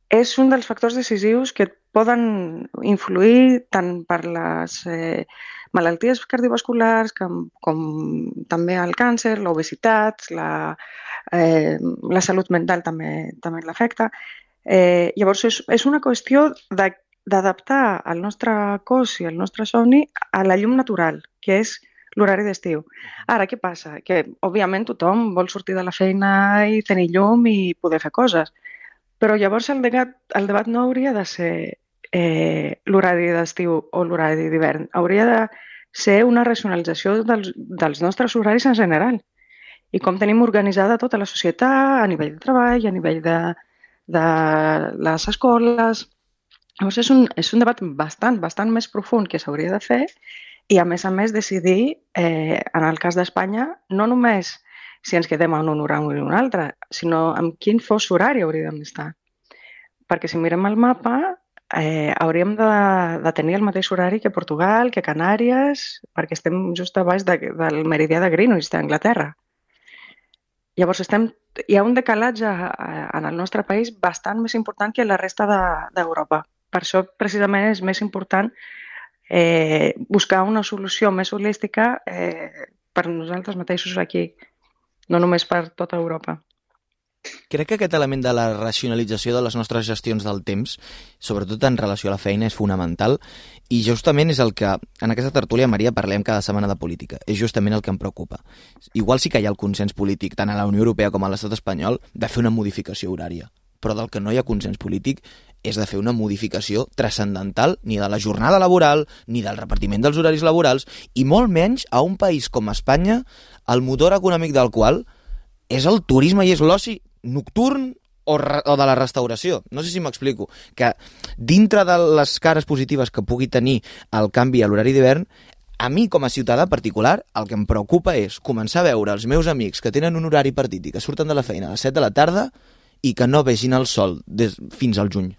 és un dels factors decisius que poden influir tant per les malalties cardiovasculars com també el càncer, l'obesitat, la salut mental també l'afecta. Llavors és una qüestió d'adaptar el nostre cos i el nostre somni a la llum natural, que és l'horari d'estiu. Ara, què passa? Que, òbviament, tothom vol sortir de la feina i tenir llum i poder fer coses. Però llavors el debat no hauria de ser l'horari d'estiu o l'horari d'hivern. Hauria de ser una racionalització dels nostres horaris en general i com tenim organitzada tota la societat a nivell de treball, a nivell de les escoles. Llavors és un debat bastant més profund que s'hauria de fer i a més decidir, en el cas d'Espanya, no només si ens quedem en un horari o en un altre, sinó en quin fos horari hauríem d'estar. Perquè si mirem el mapa, hauríem de tenir el mateix horari que Portugal, que Canàries, perquè estem just a baix del meridià de Greenwich, d'Anglaterra. Llavors hi ha un decalatge en el nostre país bastant més important que la resta d'Europa. Per això, precisament, és més important buscar una solució més holística per nosaltres mateixos aquí, no només per tota Europa. Crec que aquest element de la racionalització de les nostres gestions del temps, sobretot en relació a la feina, és fonamental, i justament és el que, en aquesta tertúlia, Maria, parlem cada setmana de política. És justament el que em preocupa. Igual sí que hi ha el consens polític, tant a la Unió Europea com a l'estat espanyol, de fer una modificació horària. Però del que no hi ha consens polític és de fer una modificació transcendental ni de la jornada laboral, ni del repartiment dels horaris laborals, i molt menys a un país com Espanya, el motor econòmic del qual és el turisme i és l'oci nocturn o de la restauració. No sé si m'explico. Que dintre de les cares positives que pugui tenir el canvi a l'horari d'hivern, a mi, com a ciutadà particular, el que em preocupa és començar a veure els meus amics que tenen un horari partit i que surten de la feina a les 7 de la tarda i que no vegin el sol fins al juny.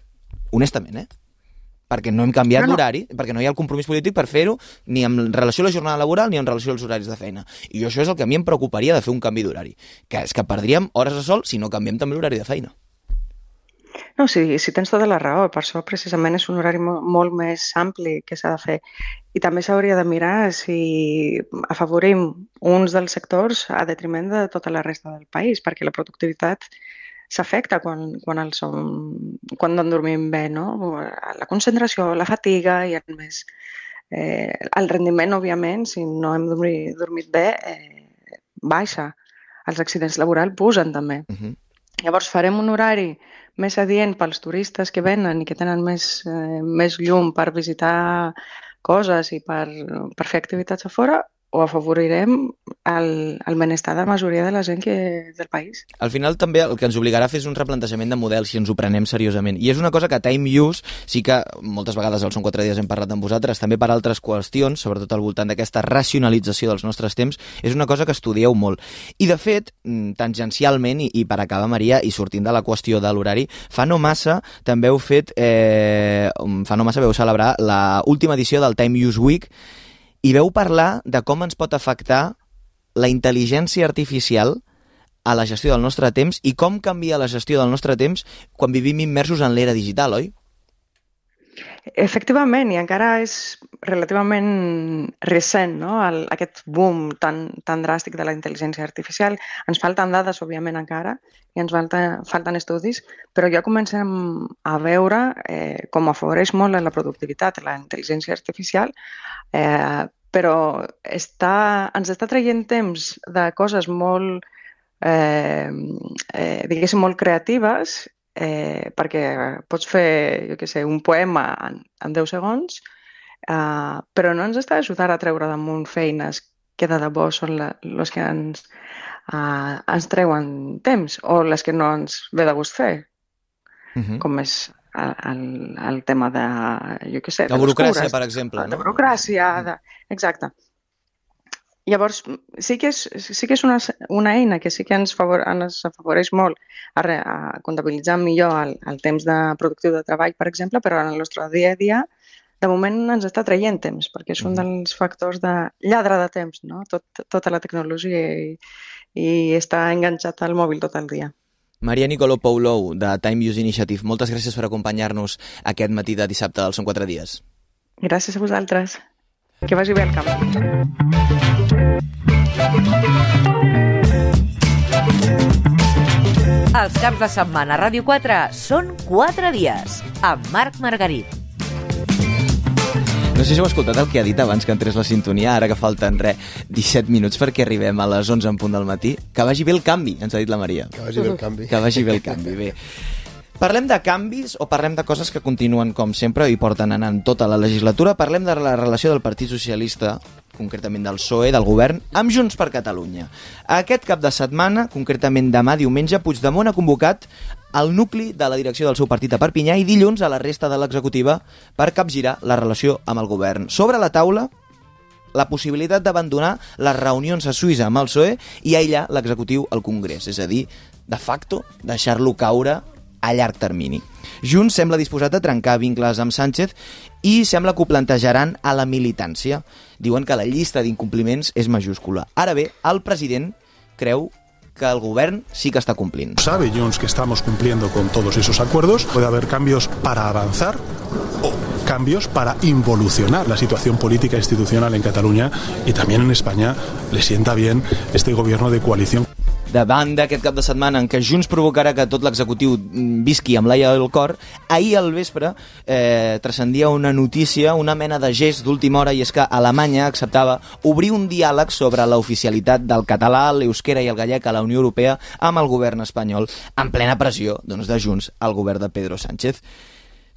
Honestament, perquè no hem canviat l'horari, perquè no hi ha el compromís polític per fer-ho ni en relació a la jornada laboral ni en relació als horaris de feina. I això és el que a mi em preocuparia de fer un canvi d'horari, que és que perdríem hores de sol si no canviem també l'horari de feina. No, sí, tens tota la raó. Per això precisament és un horari molt més ampli que s'ha de fer. I també s'hauria de mirar si afavorim uns dels sectors a detriment de tota la resta del país, perquè la productivitat s'afecta quan no en dormim bé, no? La concentració, la fatiga i a més el rendiment, òbviament, si no hem dormit bé, baixa. Els accidents laborals pugen també. Llavors farem un horari més adient pels turistes que venen i que tenen més llum per visitar coses i per fer activitats a fora, o afavorirem el benestar de la majoria de la gent del país. Al final també el que ens obligarà a fer és un replantejament de model si ens ho prenem seriosament. I és una cosa que a Time Use sí que moltes vegades al Són 4 dies hem parlat amb vosaltres, també per altres qüestions, sobretot al voltant d'aquesta racionalització dels nostres temps, és una cosa que estudieu molt. I de fet, tangencialment, i per acabar, Maria, i sortint de la qüestió de l'horari, fa no massa veu celebrar l'última edició del Time Use Week i veu parlar de com ens pot afectar la intel·ligència artificial a la gestió del nostre temps i com canvia la gestió del nostre temps quan vivim immersos en l'era digital, oi? Efectivament, i encara és relativament recent, no? Aquest boom tan dràstic de la intel·ligència artificial. Ens falten dades, òbviament, encara, i ens falten estudis, però ja comencem a veure com afavoreix molt la productivitat, la intel·ligència artificial, però ens està traient temps de coses molt, diguéssim, molt creatives, perquè pots fer, jo què sé, un poema en 10 segons, però no ens està ajudant a treure damunt feines que de debò són les que ens treuen temps o les que no ens ve de gust fer, com és el tema de, jo què sé, la burocràcia, per exemple. La burocràcia, exacte. Llavors, sí que és una eina que sí que ens afavoreix molt a comptabilitzar millor el temps productiu de treball, per exemple, però en el nostre dia a dia, de moment ens està traient temps, perquè és un dels factors de lladre de temps, no? Tota la tecnologia i està enganxat al mòbil tot el dia. Maria Nicolopoulou, de Time Use Initiative, moltes gràcies per acompanyar-nos aquest matí de dissabte del Són 4 dies. Gràcies a vosaltres. Que vagi bé el camp. Els caps de setmana a Ràdio 4 són 4 dies, amb Marc Margarit. No sé si heu escoltat el que ha dit abans que entrés la sintonia, ara que falten 17 minuts perquè arribem a les 11 en punt del matí. Que vagi bé el canvi, ens ha dit la Maria. Que vagi bé el canvi. Que vagi bé el canvi, bé. Parlem de canvis o parlem de coses que continuen com sempre i porten anant tota la legislatura? Parlem de la relació del Partit Socialista, concretament del PSOE, del govern, amb Junts per Catalunya. Aquest cap de setmana, concretament demà, diumenge, Puigdemont ha convocat el nucli de la direcció del seu partit a Perpinyà i dilluns a la resta de l'executiva per capgirar la relació amb el govern. Sobre la taula, la possibilitat d'abandonar les reunions a Suïssa amb el PSOE i aïllar l'executiu al Congrés, és a dir, de facto, deixar-lo caure a llarg termini. Junts sembla disposat a trencar vincles amb Sánchez i sembla que ho plantejaran a la militància. Diuen que la llista d'incompliments és majúscula. Ara bé, el president creu que el govern sí que està complint. Sabe Junts que estamos cumpliendo con todos esos acuerdos. Puede haber cambios para avanzar o cambios para involucionar la situación política e institucional en Cataluña y también en España. Le sienta bien este gobierno de coalición. davant d'aquest cap de setmana en què Junts provocarà que tot l'executiu visqui amb l'aire del cor, ahir al vespre transcendia una notícia, una mena de gest d'última hora, i és que Alemanya acceptava obrir un diàleg sobre l'oficialitat del català, l'euskera i el gallec a la Unió Europea amb el govern espanyol, en plena pressió de Junts al govern de Pedro Sánchez.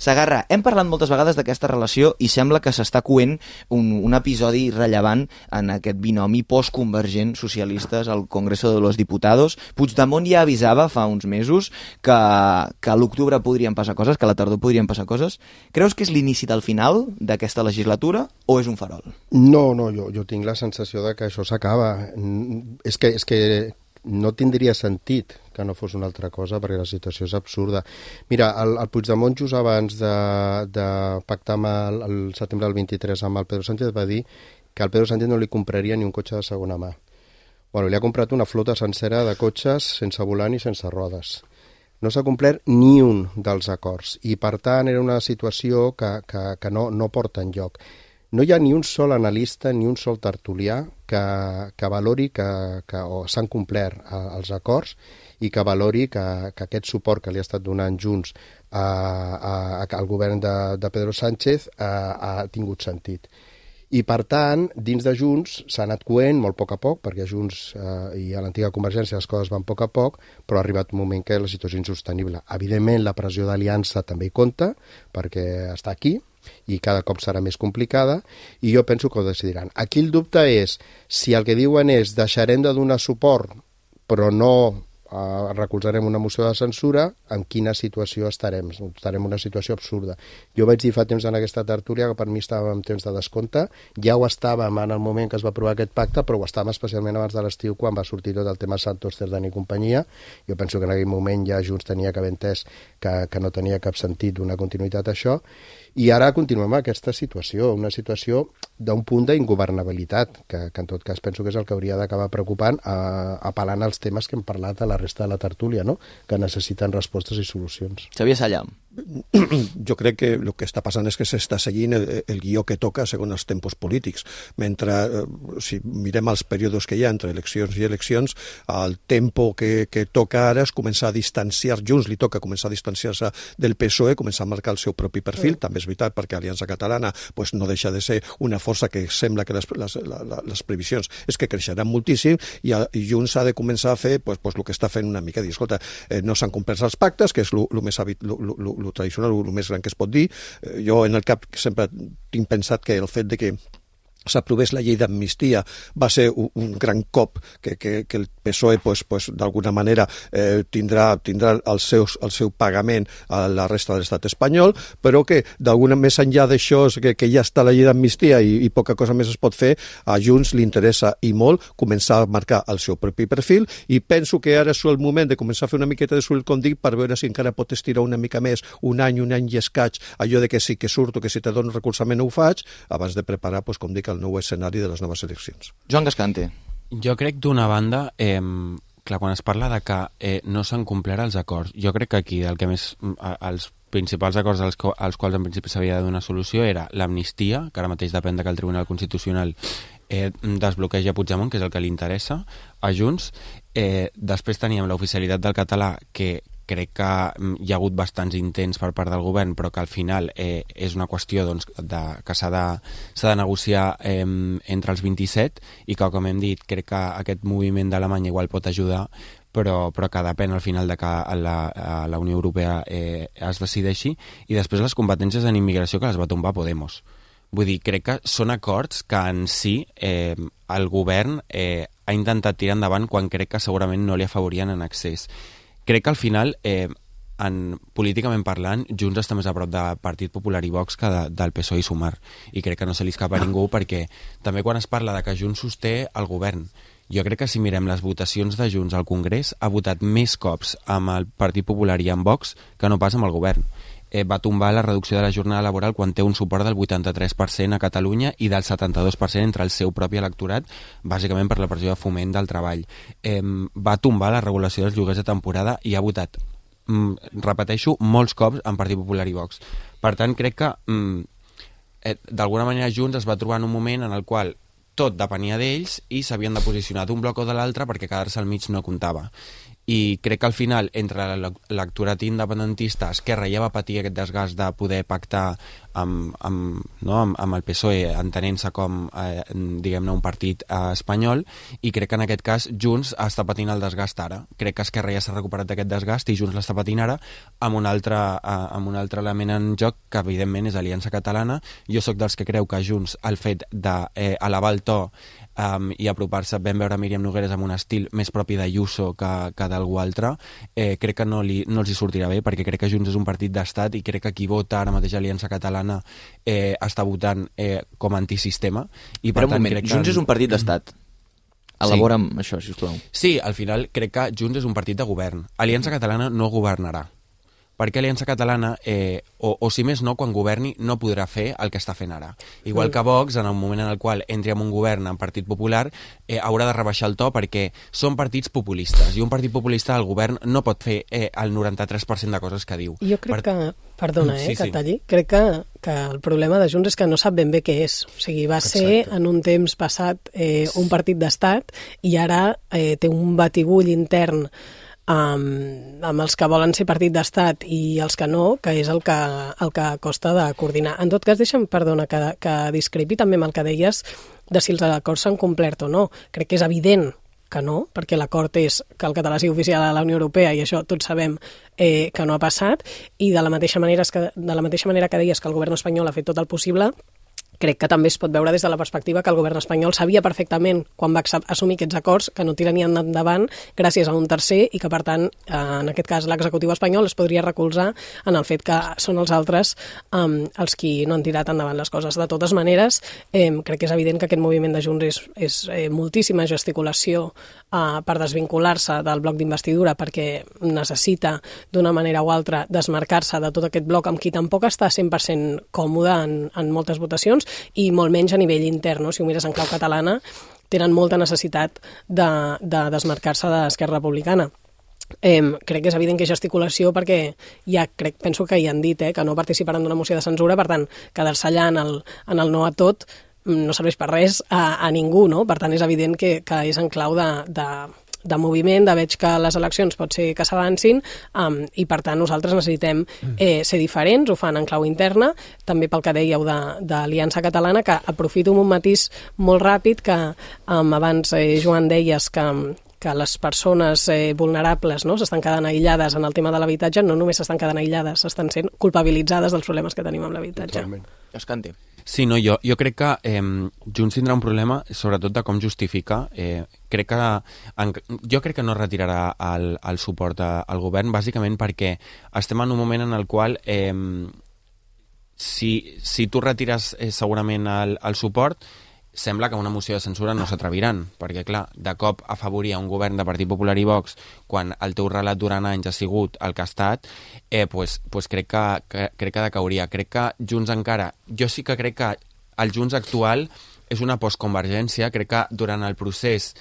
Sagarra, hem parlat moltes vegades d'aquesta relació i sembla que s'està coent un episodi rellevant en aquest binomi postconvergent socialistes al Congreso de los Diputados. Puigdemont ja avisava fa uns mesos que a l'octubre podrien passar coses, que a la tardor podrien passar coses. Creus que és l'inici del final d'aquesta legislatura o és un farol? No, jo tinc la sensació de que això s'acaba. És que no tindria sentit que no fos una altra cosa, perquè la situació és absurda. Mira, el Puigdemont just abans de pactar el setembre del 23 amb el Pedro Sánchez va dir que al Pedro Sánchez no li compraria ni un cotxe de segona mà. Bueno, li ha comprat una flota sencera de cotxes sense volant i sense rodes. No s'ha complert ni un dels acords i, per tant, era una situació que no porta enlloc. No hi ha ni un sol analista ni un sol tertulià que valori que s'han complert els acords i que valori que aquest suport que li ha estat donant Junts al govern de Pedro Sánchez ha tingut sentit. I, per tant, dins de Junts s'ha anat coent molt a poc, perquè a Junts i a l'antiga Convergència les coses van a poc, però ha arribat un moment que la situació és insostenible. Evidentment, la pressió d'aliança també hi compta, perquè està aquí, i cada cop serà més complicada, i jo penso que ho decidiran. Aquí el dubte és si el que diuen és deixarem de donar suport però no recolzarem una moció de censura, en quina situació estarem? Estarem en una situació absurda. Jo vaig dir fa temps en aquesta tertúlia que per mi estàvem en temps de descompte, ja ho estàvem en el moment que es va aprovar aquest pacte, però ho estàvem especialment abans de l'estiu, quan va sortir tot el tema Santos, Cerdán i companyia. Jo penso que en aquell moment ja Junts tenia que haver entès que no tenia cap sentit donar continuïtat a això, i ara continuem amb aquesta situació, una situació d'un punt d'ingovernabilitat, que en tot cas penso que és el que hauria d'acabar preocupant, apel·lant als temes que hem parlat a la resta de la tertúlia, no? Que necessiten respostes i solucions. Xavier Salla. Jo crec que el que està passant és que s'està seguint el guió que toca segons els tempos polítics. Mentre, si mirem els períodes que hi ha entre eleccions i eleccions, el tempo que toca ara és començar a distanciar, Junts li toca començar a distanciar-se del PSOE, començar a marcar el seu propi perfil, també és veritat perquè Aliança Catalana no deixa de ser una força que sembla que les previsions és que creixeran moltíssim, i Junts ha de començar a fer el que està fent una mica, dir, escolta, no s'han complert els pactes, que és el més tradicional, el més gran que es pot dir. Jo en el cap sempre tinc pensat que el fet de que s'aprovés la llei d'amnistia va ser un gran cop que el PSOE d'alguna manera tindrà el seu pagament a la resta de l'estat espanyol, però que d'alguna més enllà d'això, que ja està la llei d'amnistia i poca cosa més es pot fer, a Junts li interessa i molt començar a marcar el seu propi perfil, i penso que ara és el moment de començar a fer una miqueta de soroll, com dic, per veure si encara pot estirar una mica més, un any i escaig, allò de que sí que surto, que si te dono recolzament ho faig, abans de preparar, com dic, el nou escenari de les noves eleccions. Joan Gascante. Jo crec, d'una banda, clar, quan es parla de que no s'han complert els acords, jo crec que aquí el que més, els principals acords als quals en principi s'havia de donar solució era l'amnistia, que ara mateix depèn que el Tribunal Constitucional desbloqueja Puigdemont, que és el que li interessa a Junts. Després teníem l'oficialitat del català, que crec que hi ha hagut bastants intents per part del govern, però que al final és una qüestió que s'ha de negociar entre els 27, i que, com hem dit, crec que aquest moviment d'Alemanya igual pot ajudar, però que depèn al final de que la Unió Europea es decideixi. I després les competències en immigració, que les va tombar Podemos. Vull dir, crec que són acords que en si el govern ha intentat tirar endavant quan crec que segurament no li afavorien en accés. Crec que al final, políticament parlant, Junts està més a prop del Partit Popular i Vox que del PSOE i Sumar. I crec que no se li escapa a ningú, perquè també quan es parla de que Junts sosté el govern, jo crec que si mirem les votacions de Junts al Congrés, ha votat més cops amb el Partit Popular i amb Vox que no pas amb el govern. Va tombar la reducció de la jornada laboral quan té un suport del 83% a Catalunya i del 72% entre el seu propi electorat, bàsicament per la pressió de Foment del Treball. Va tombar la regulació dels lloguers de temporada i ha votat, repeteixo, molts cops en Partit Popular i Vox. Per tant, crec que d'alguna manera Junts es va trobar en un moment en el qual tot depenia d'ells i s'havien de posicionar d'un bloc o de l'altre perquè quedar-se al mig no comptava. I crec que al final, entre l'electorat independentista, Esquerra ja va patir aquest desgast de poder pactar amb el PSOE, entenent-se com, diguem-ne, un partit espanyol, i crec que en aquest cas Junts està patint el desgast ara. Crec que Esquerra ja s'ha recuperat d'aquest desgast i Junts l'està patint ara amb un altre element en joc, que evidentment és Aliança Catalana. Jo sóc dels que creu que Junts, el fet d'elevar el to i apropar-se, vam veure Míriam Nogueres amb un estil més propi d'Ayuso que d'algú altre, crec que no els hi sortirà bé, perquè crec que Junts és un partit d'estat i crec que qui vota ara mateix Aliança Catalana està votant com a antisistema. I però un moment, Junts és un partit d'estat. Elabora amb això, sisplau. Sí, al final crec que Junts és un partit de govern. Aliança Catalana no governarà. Perquè Aliança Catalana, o si més no, quan governi no podrà fer el que està fent ara. Igual que Vox, en el moment en el qual entri en un govern en Partit Popular, haurà de rebaixar el to perquè són partits populistes, i un partit populista al govern no pot fer el 93% de coses que diu. Jo crec que, perdona, que et talli, crec que el problema de Junts és que no sap ben bé què és. O sigui, va ser en un temps passat un partit d'estat i ara té un batibull intern amb els que volen ser partit d'estat i els que no, que és el que costa de coordinar. En tot cas, deixa'm, perdona, que discrepi també amb el que deies de si els acords s'han complert o no. Crec que és evident que no, perquè l'acord és que el català sigui oficial a la Unió Europea i això tots sabem que no ha passat, i de la mateixa manera que deies que el govern espanyol ha fet tot el possible, crec que també es pot veure des de la perspectiva que el govern espanyol sabia perfectament, quan va assumir aquests acords, que no tiranien endavant gràcies a un tercer i que, per tant, en aquest cas l'executiu espanyol es podria recolzar en el fet que són els altres els qui no han tirat endavant les coses. De totes maneres, crec que és evident que aquest moviment de Junts és moltíssima gesticulació per desvincular-se del bloc d'investidura, perquè necessita d'una manera o altra desmarcar-se de tot aquest bloc amb qui tampoc està 100% còmode en moltes votacions, i molt menys a nivell intern, no? Si ho mires en clau catalana, tenen molta necessitat de desmarcar-se d'Esquerra Republicana. Crec que és evident que gesticulació perquè penso que hi han dit que no participaran d'una moció de censura, per tant, quedar-se allà en el no a tot no serveix per res a ningú, no? Per tant, és evident que és en clau de moviment, de veig que les eleccions pot ser que s'avancin, i per tant nosaltres necessitem ser diferents, ho fan en clau interna, també pel que dèieu d'Aliança Catalana, que aprofito un matís molt ràpid, que abans, Joan, deies que les persones vulnerables, no, s'estan quedant aïllades en el tema de l'habitatge. No només s'estan quedant aïllades, s'estan sent culpabilitzades dels problemes que tenim amb l'habitatge. Escante. Sí, no, jo crec que Junts tindrà un problema, sobretot de com justifica. Jo crec que no retirarà el suport al govern, bàsicament perquè estem en un moment en el qual si tu retires segurament el suport, sembla que una moció de censura no s'atreviran, perquè, clar, de cop afavorir un govern de Partit Popular i Vox quan el teu relat durant anys ha sigut el que ha estat, pues crec que decauria. Crec que Junts encara... Jo sí que crec que el Junts actual és una postconvergència. Crec que durant el procés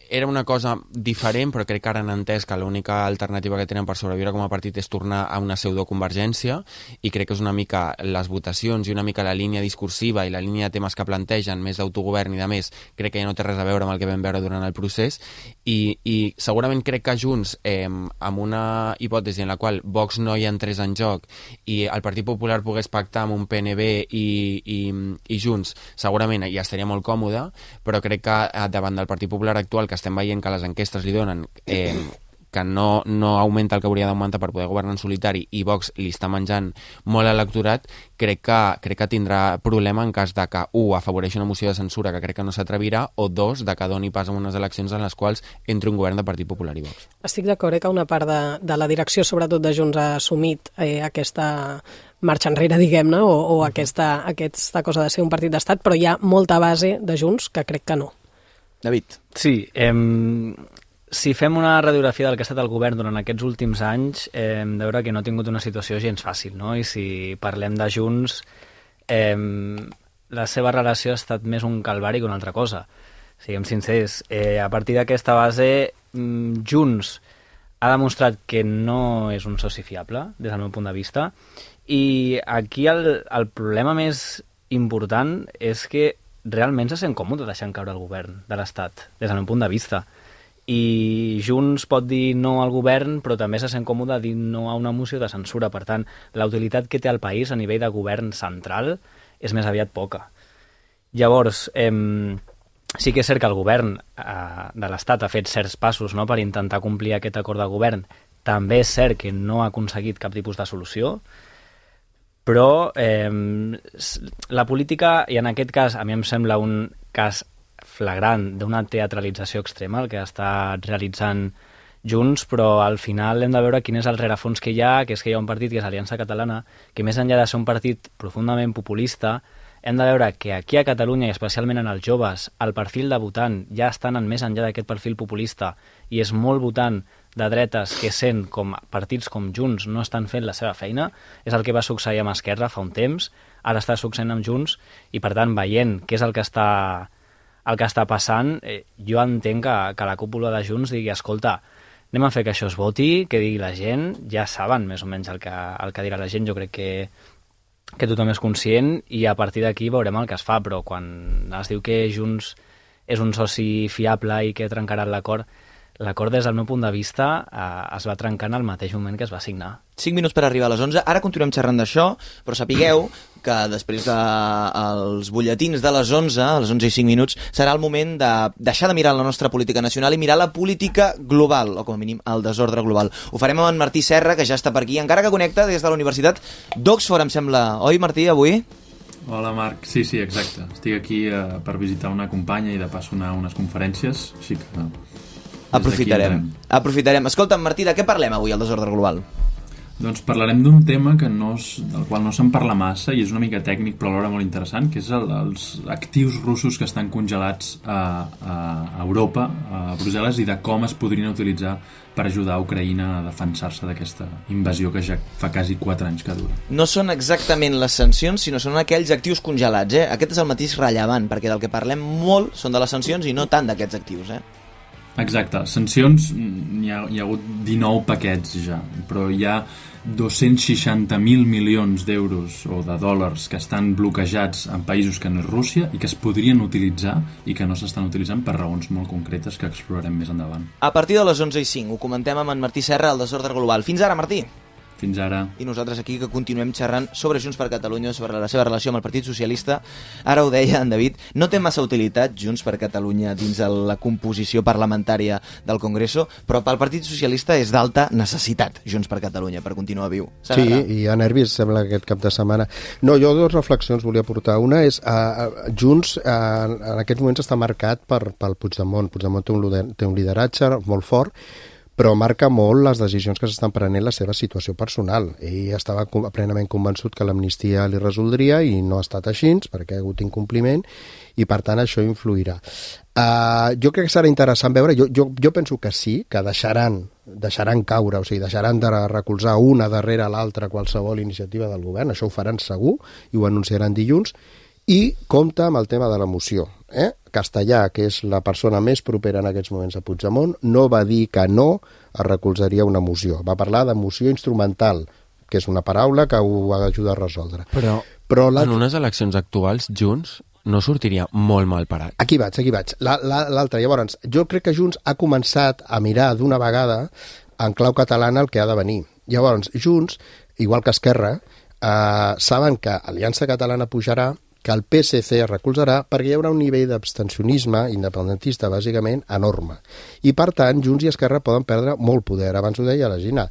era una cosa diferent, però crec que ara han entès que l'única alternativa que tenen per sobreviure com a partit és tornar a una pseudoconvergència, i crec que és una mica les votacions i una mica la línia discursiva i la línia de temes que plantegen, més d'autogovern i de més, crec que ja no té res a veure amb el que vam veure durant el procés, i segurament crec que Junts, amb una hipòtesi en la qual Vox no hi entrés en joc i el Partit Popular pogués pactar amb un PNB i Junts, segurament ja estaria molt còmode, però crec que davant del Partit Popular actual, que estem veient que les enquestes li donen que no augmenta el que hauria d'augmentar per poder governar en solitari, i Vox li està menjant molt a l'electorat, crec que tindrà problema en cas de que, afavoreixi una moció de censura que crec que no s'atrevirà, o dos, de que doni pas a unes eleccions en les quals entri un govern de Partit Popular i Vox. Estic d'acord que una part de la direcció, sobretot de Junts, ha assumit aquesta marxa enrere, diguem-ne, o aquesta cosa de ser un partit d'estat, però hi ha molta base de Junts que crec que no. David. Sí, si fem una radiografia del que ha estat el govern durant aquests últims anys, hem de veure que no ha tingut una situació gens fàcil, no? I si parlem de Junts, la seva relació ha estat més un calvari que una altra cosa. Siguem sincers, a partir d'aquesta base, Junts ha demostrat que no és un soci fiable, des del meu punt de vista, i aquí el problema més important és que realment se sent còmode deixant caure el govern de l'Estat, des del meu punt de vista. I Junts pot dir no al govern, però també se sent còmode dir no a una moció de censura. Per tant, la utilitat que té el país a nivell de govern central és més aviat poca. Llavors, sí que és cert que el govern de l'Estat ha fet certs passos, no?, per intentar complir aquest acord de govern. També és cert que no ha aconseguit cap tipus de solució, però la política, i en aquest cas a mi em sembla un cas flagrant d'una teatralització extrema el que està realitzant Junts, però al final hem de veure quin és el rerefons que hi ha, que és que hi ha un partit que és Aliança Catalana, que més enllà de ser un partit profundament populista, hem de veure que aquí a Catalunya, i especialment en els joves, el perfil de votant ja està anant més enllà d'aquest perfil populista i és molt votant de dretes que sent com partits com Junts no estan fent la seva feina. És el que va succeir amb Esquerra fa un temps, ara està succeint amb Junts, i per tant, veient què és el que està passant, jo entenc que la cúpula de Junts digui, escolta, anem a fer que això es voti, que digui la gent, ja saben més o menys el que dirà la gent, jo crec que tothom és conscient, i a partir d'aquí veurem el que es fa, però quan es diu que Junts és un soci fiable i que trencarà l'acord, des del meu punt de vista es va trencar en el mateix moment que es va signar. 5 minuts per arribar a les 11. Ara continuem xerrant d'això, però sapigueu que després dels butlletins de les 11, a les 11 i 5 minuts, serà el moment de deixar de mirar la nostra política nacional i mirar la política global, o com a mínim el desordre global. Ho farem amb en Martí Serra, que ja està per aquí, encara que connecta des de la Universitat d'Oxford, em sembla. Oi, Martí, avui? Hola, Marc. Sí, exacte. Estic aquí per visitar una companya i de pas unes conferències, així que... Aprofitarem. Escolta'm, Martí, de què parlem avui al desordre global? Doncs parlarem d'un tema del qual no se'n parla massa i és una mica tècnic però alhora molt interessant, que és els actius russos que estan congelats a Europa, a Brussel·les, i de com es podrien utilitzar per ajudar a Ucraïna a defensar-se d'aquesta invasió que ja fa quasi 4 anys que dura. No són exactament les sancions, sinó són aquells actius congelats, Aquest és el matís rellevant, perquè del que parlem molt són de les sancions i no tant d'aquests actius, Exacte. Sancions, hi ha hagut 19 paquets ja, però hi ha 260.000 milions d'euros o de dòlars que estan bloquejats en països que no és Rússia i que es podrien utilitzar i que no s'estan utilitzant per raons molt concretes que explorarem més endavant. A partir de les 11 i 5 ho comentem amb en Martí Serra al Desordre Global. Fins ara, Martí! Fins ara. I nosaltres aquí que continuem xerrant sobre Junts per Catalunya, sobre la seva relació amb el Partit Socialista. Ara ho deia en David, no té massa utilitat Junts per Catalunya dins la composició parlamentària del Congreso, però pel Partit Socialista és d'alta necessitat Junts per Catalunya per continuar viu. Sí, i hi ha nervis, sembla, aquest cap de setmana. No, jo 2 reflexions volia portar. Una és, Junts en aquests moments està marcat pel Puigdemont. Puigdemont té un lideratge molt fort, però marca molt les decisions que s'estan prenent la seva situació personal. Ell estava plenament convençut que l'amnistia li resoldria i no ha estat així, perquè ha hagut incompliment, i per tant això influirà. Jo crec que serà interessant veure, jo penso que sí, que deixaran caure, o sigui, deixaran de recolzar una darrere l'altra qualsevol iniciativa del govern, això ho faran segur, i ho anunciaran dilluns, i compta amb el tema de la moció. Castellà, que és la persona més propera en aquests moments a Puigdemont, no va dir que no es recolzaria una moció. Va parlar de moció instrumental, que és una paraula que ho ajuda a resoldre. Però en unes eleccions actuals, Junts no sortiria molt mal parat. Aquí vaig. L'altre, llavors, jo crec que Junts ha començat a mirar d'una vegada en clau catalana el que ha de venir. Llavors, Junts, igual que Esquerra, saben que Aliança Catalana pujarà, que el PSC es recolzarà perquè hi haurà un nivell d'abstencionisme independentista, bàsicament, enorme. I, per tant, Junts i Esquerra poden perdre molt poder. Abans ho deia la Gina.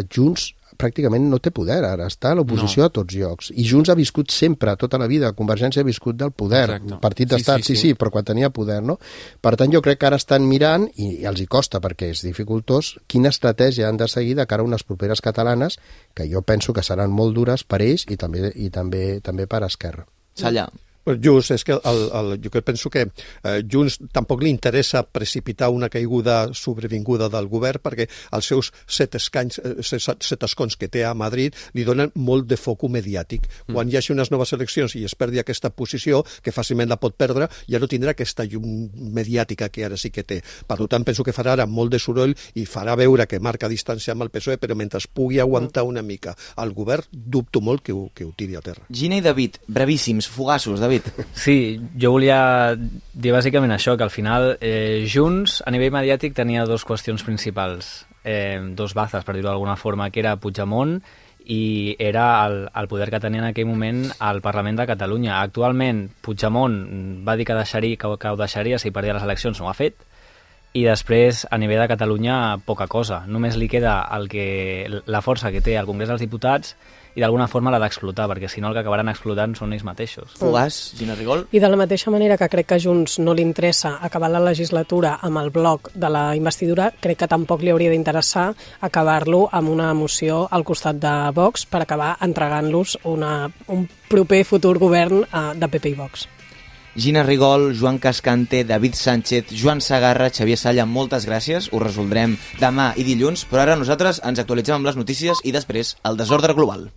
Junts pràcticament no té poder, ara està a l'oposició a tots llocs. I Junts ha viscut sempre, tota la vida, Convergència ha viscut del poder. Exacte. Partit d'estat, sí, però quan tenia poder, no? Per tant, jo crec que ara estan mirant, i els hi costa perquè és dificultós, quina estratègia han de seguir de cara a unes properes catalanes, que jo penso que seran molt dures per ells i també per Esquerra. Salla. Just, és que jo penso que Junts tampoc li interessa precipitar una caiguda sobrevinguda del govern perquè els seus 7 escons que té a Madrid li donen molt de foc mediàtic. Quan hi hagi unes noves eleccions i es perdi aquesta posició, que fàcilment la pot perdre, ja no tindrà aquesta llum mediàtica que ara sí que té. Per tant, penso que farà ara molt de soroll i farà veure que marca distància amb el PSOE, però mentre pugui aguantar una mica el govern, dubto molt que ho tiri a terra. Gina i David, brevíssims, fugassos, David. David. Sí, jo volia dir bàsicament això, que al final Junts, a nivell mediàtic, tenia dues qüestions principals, dos bazes, per dir-ho d'alguna forma, que era Puigdemont i era el poder que tenia en aquell moment al Parlament de Catalunya. Actualment, Puigdemont va dir que ho deixaria si perdia les eleccions, no ho ha fet, i després, a nivell de Catalunya, poca cosa. Només li queda la força que té al Congrés dels Diputats i d'alguna forma l'ha d'explotar, perquè si no el que acabaran explotant són ells mateixos. Fogàs, Gina Rigol? I de la mateixa manera que crec que a Junts no li interessa acabar la legislatura amb el bloc de la investidura, crec que tampoc li hauria d'interessar acabar-lo amb una moció al costat de Vox per acabar entregant-los un proper futur govern de PP i Vox. Gina Rigol, Joan Cascante, David Sánchez, Joan Sagarra, Xavier Salla, moltes gràcies. Ho resoldrem demà i dilluns, però ara nosaltres ens actualitzem amb les notícies i després el desordre global.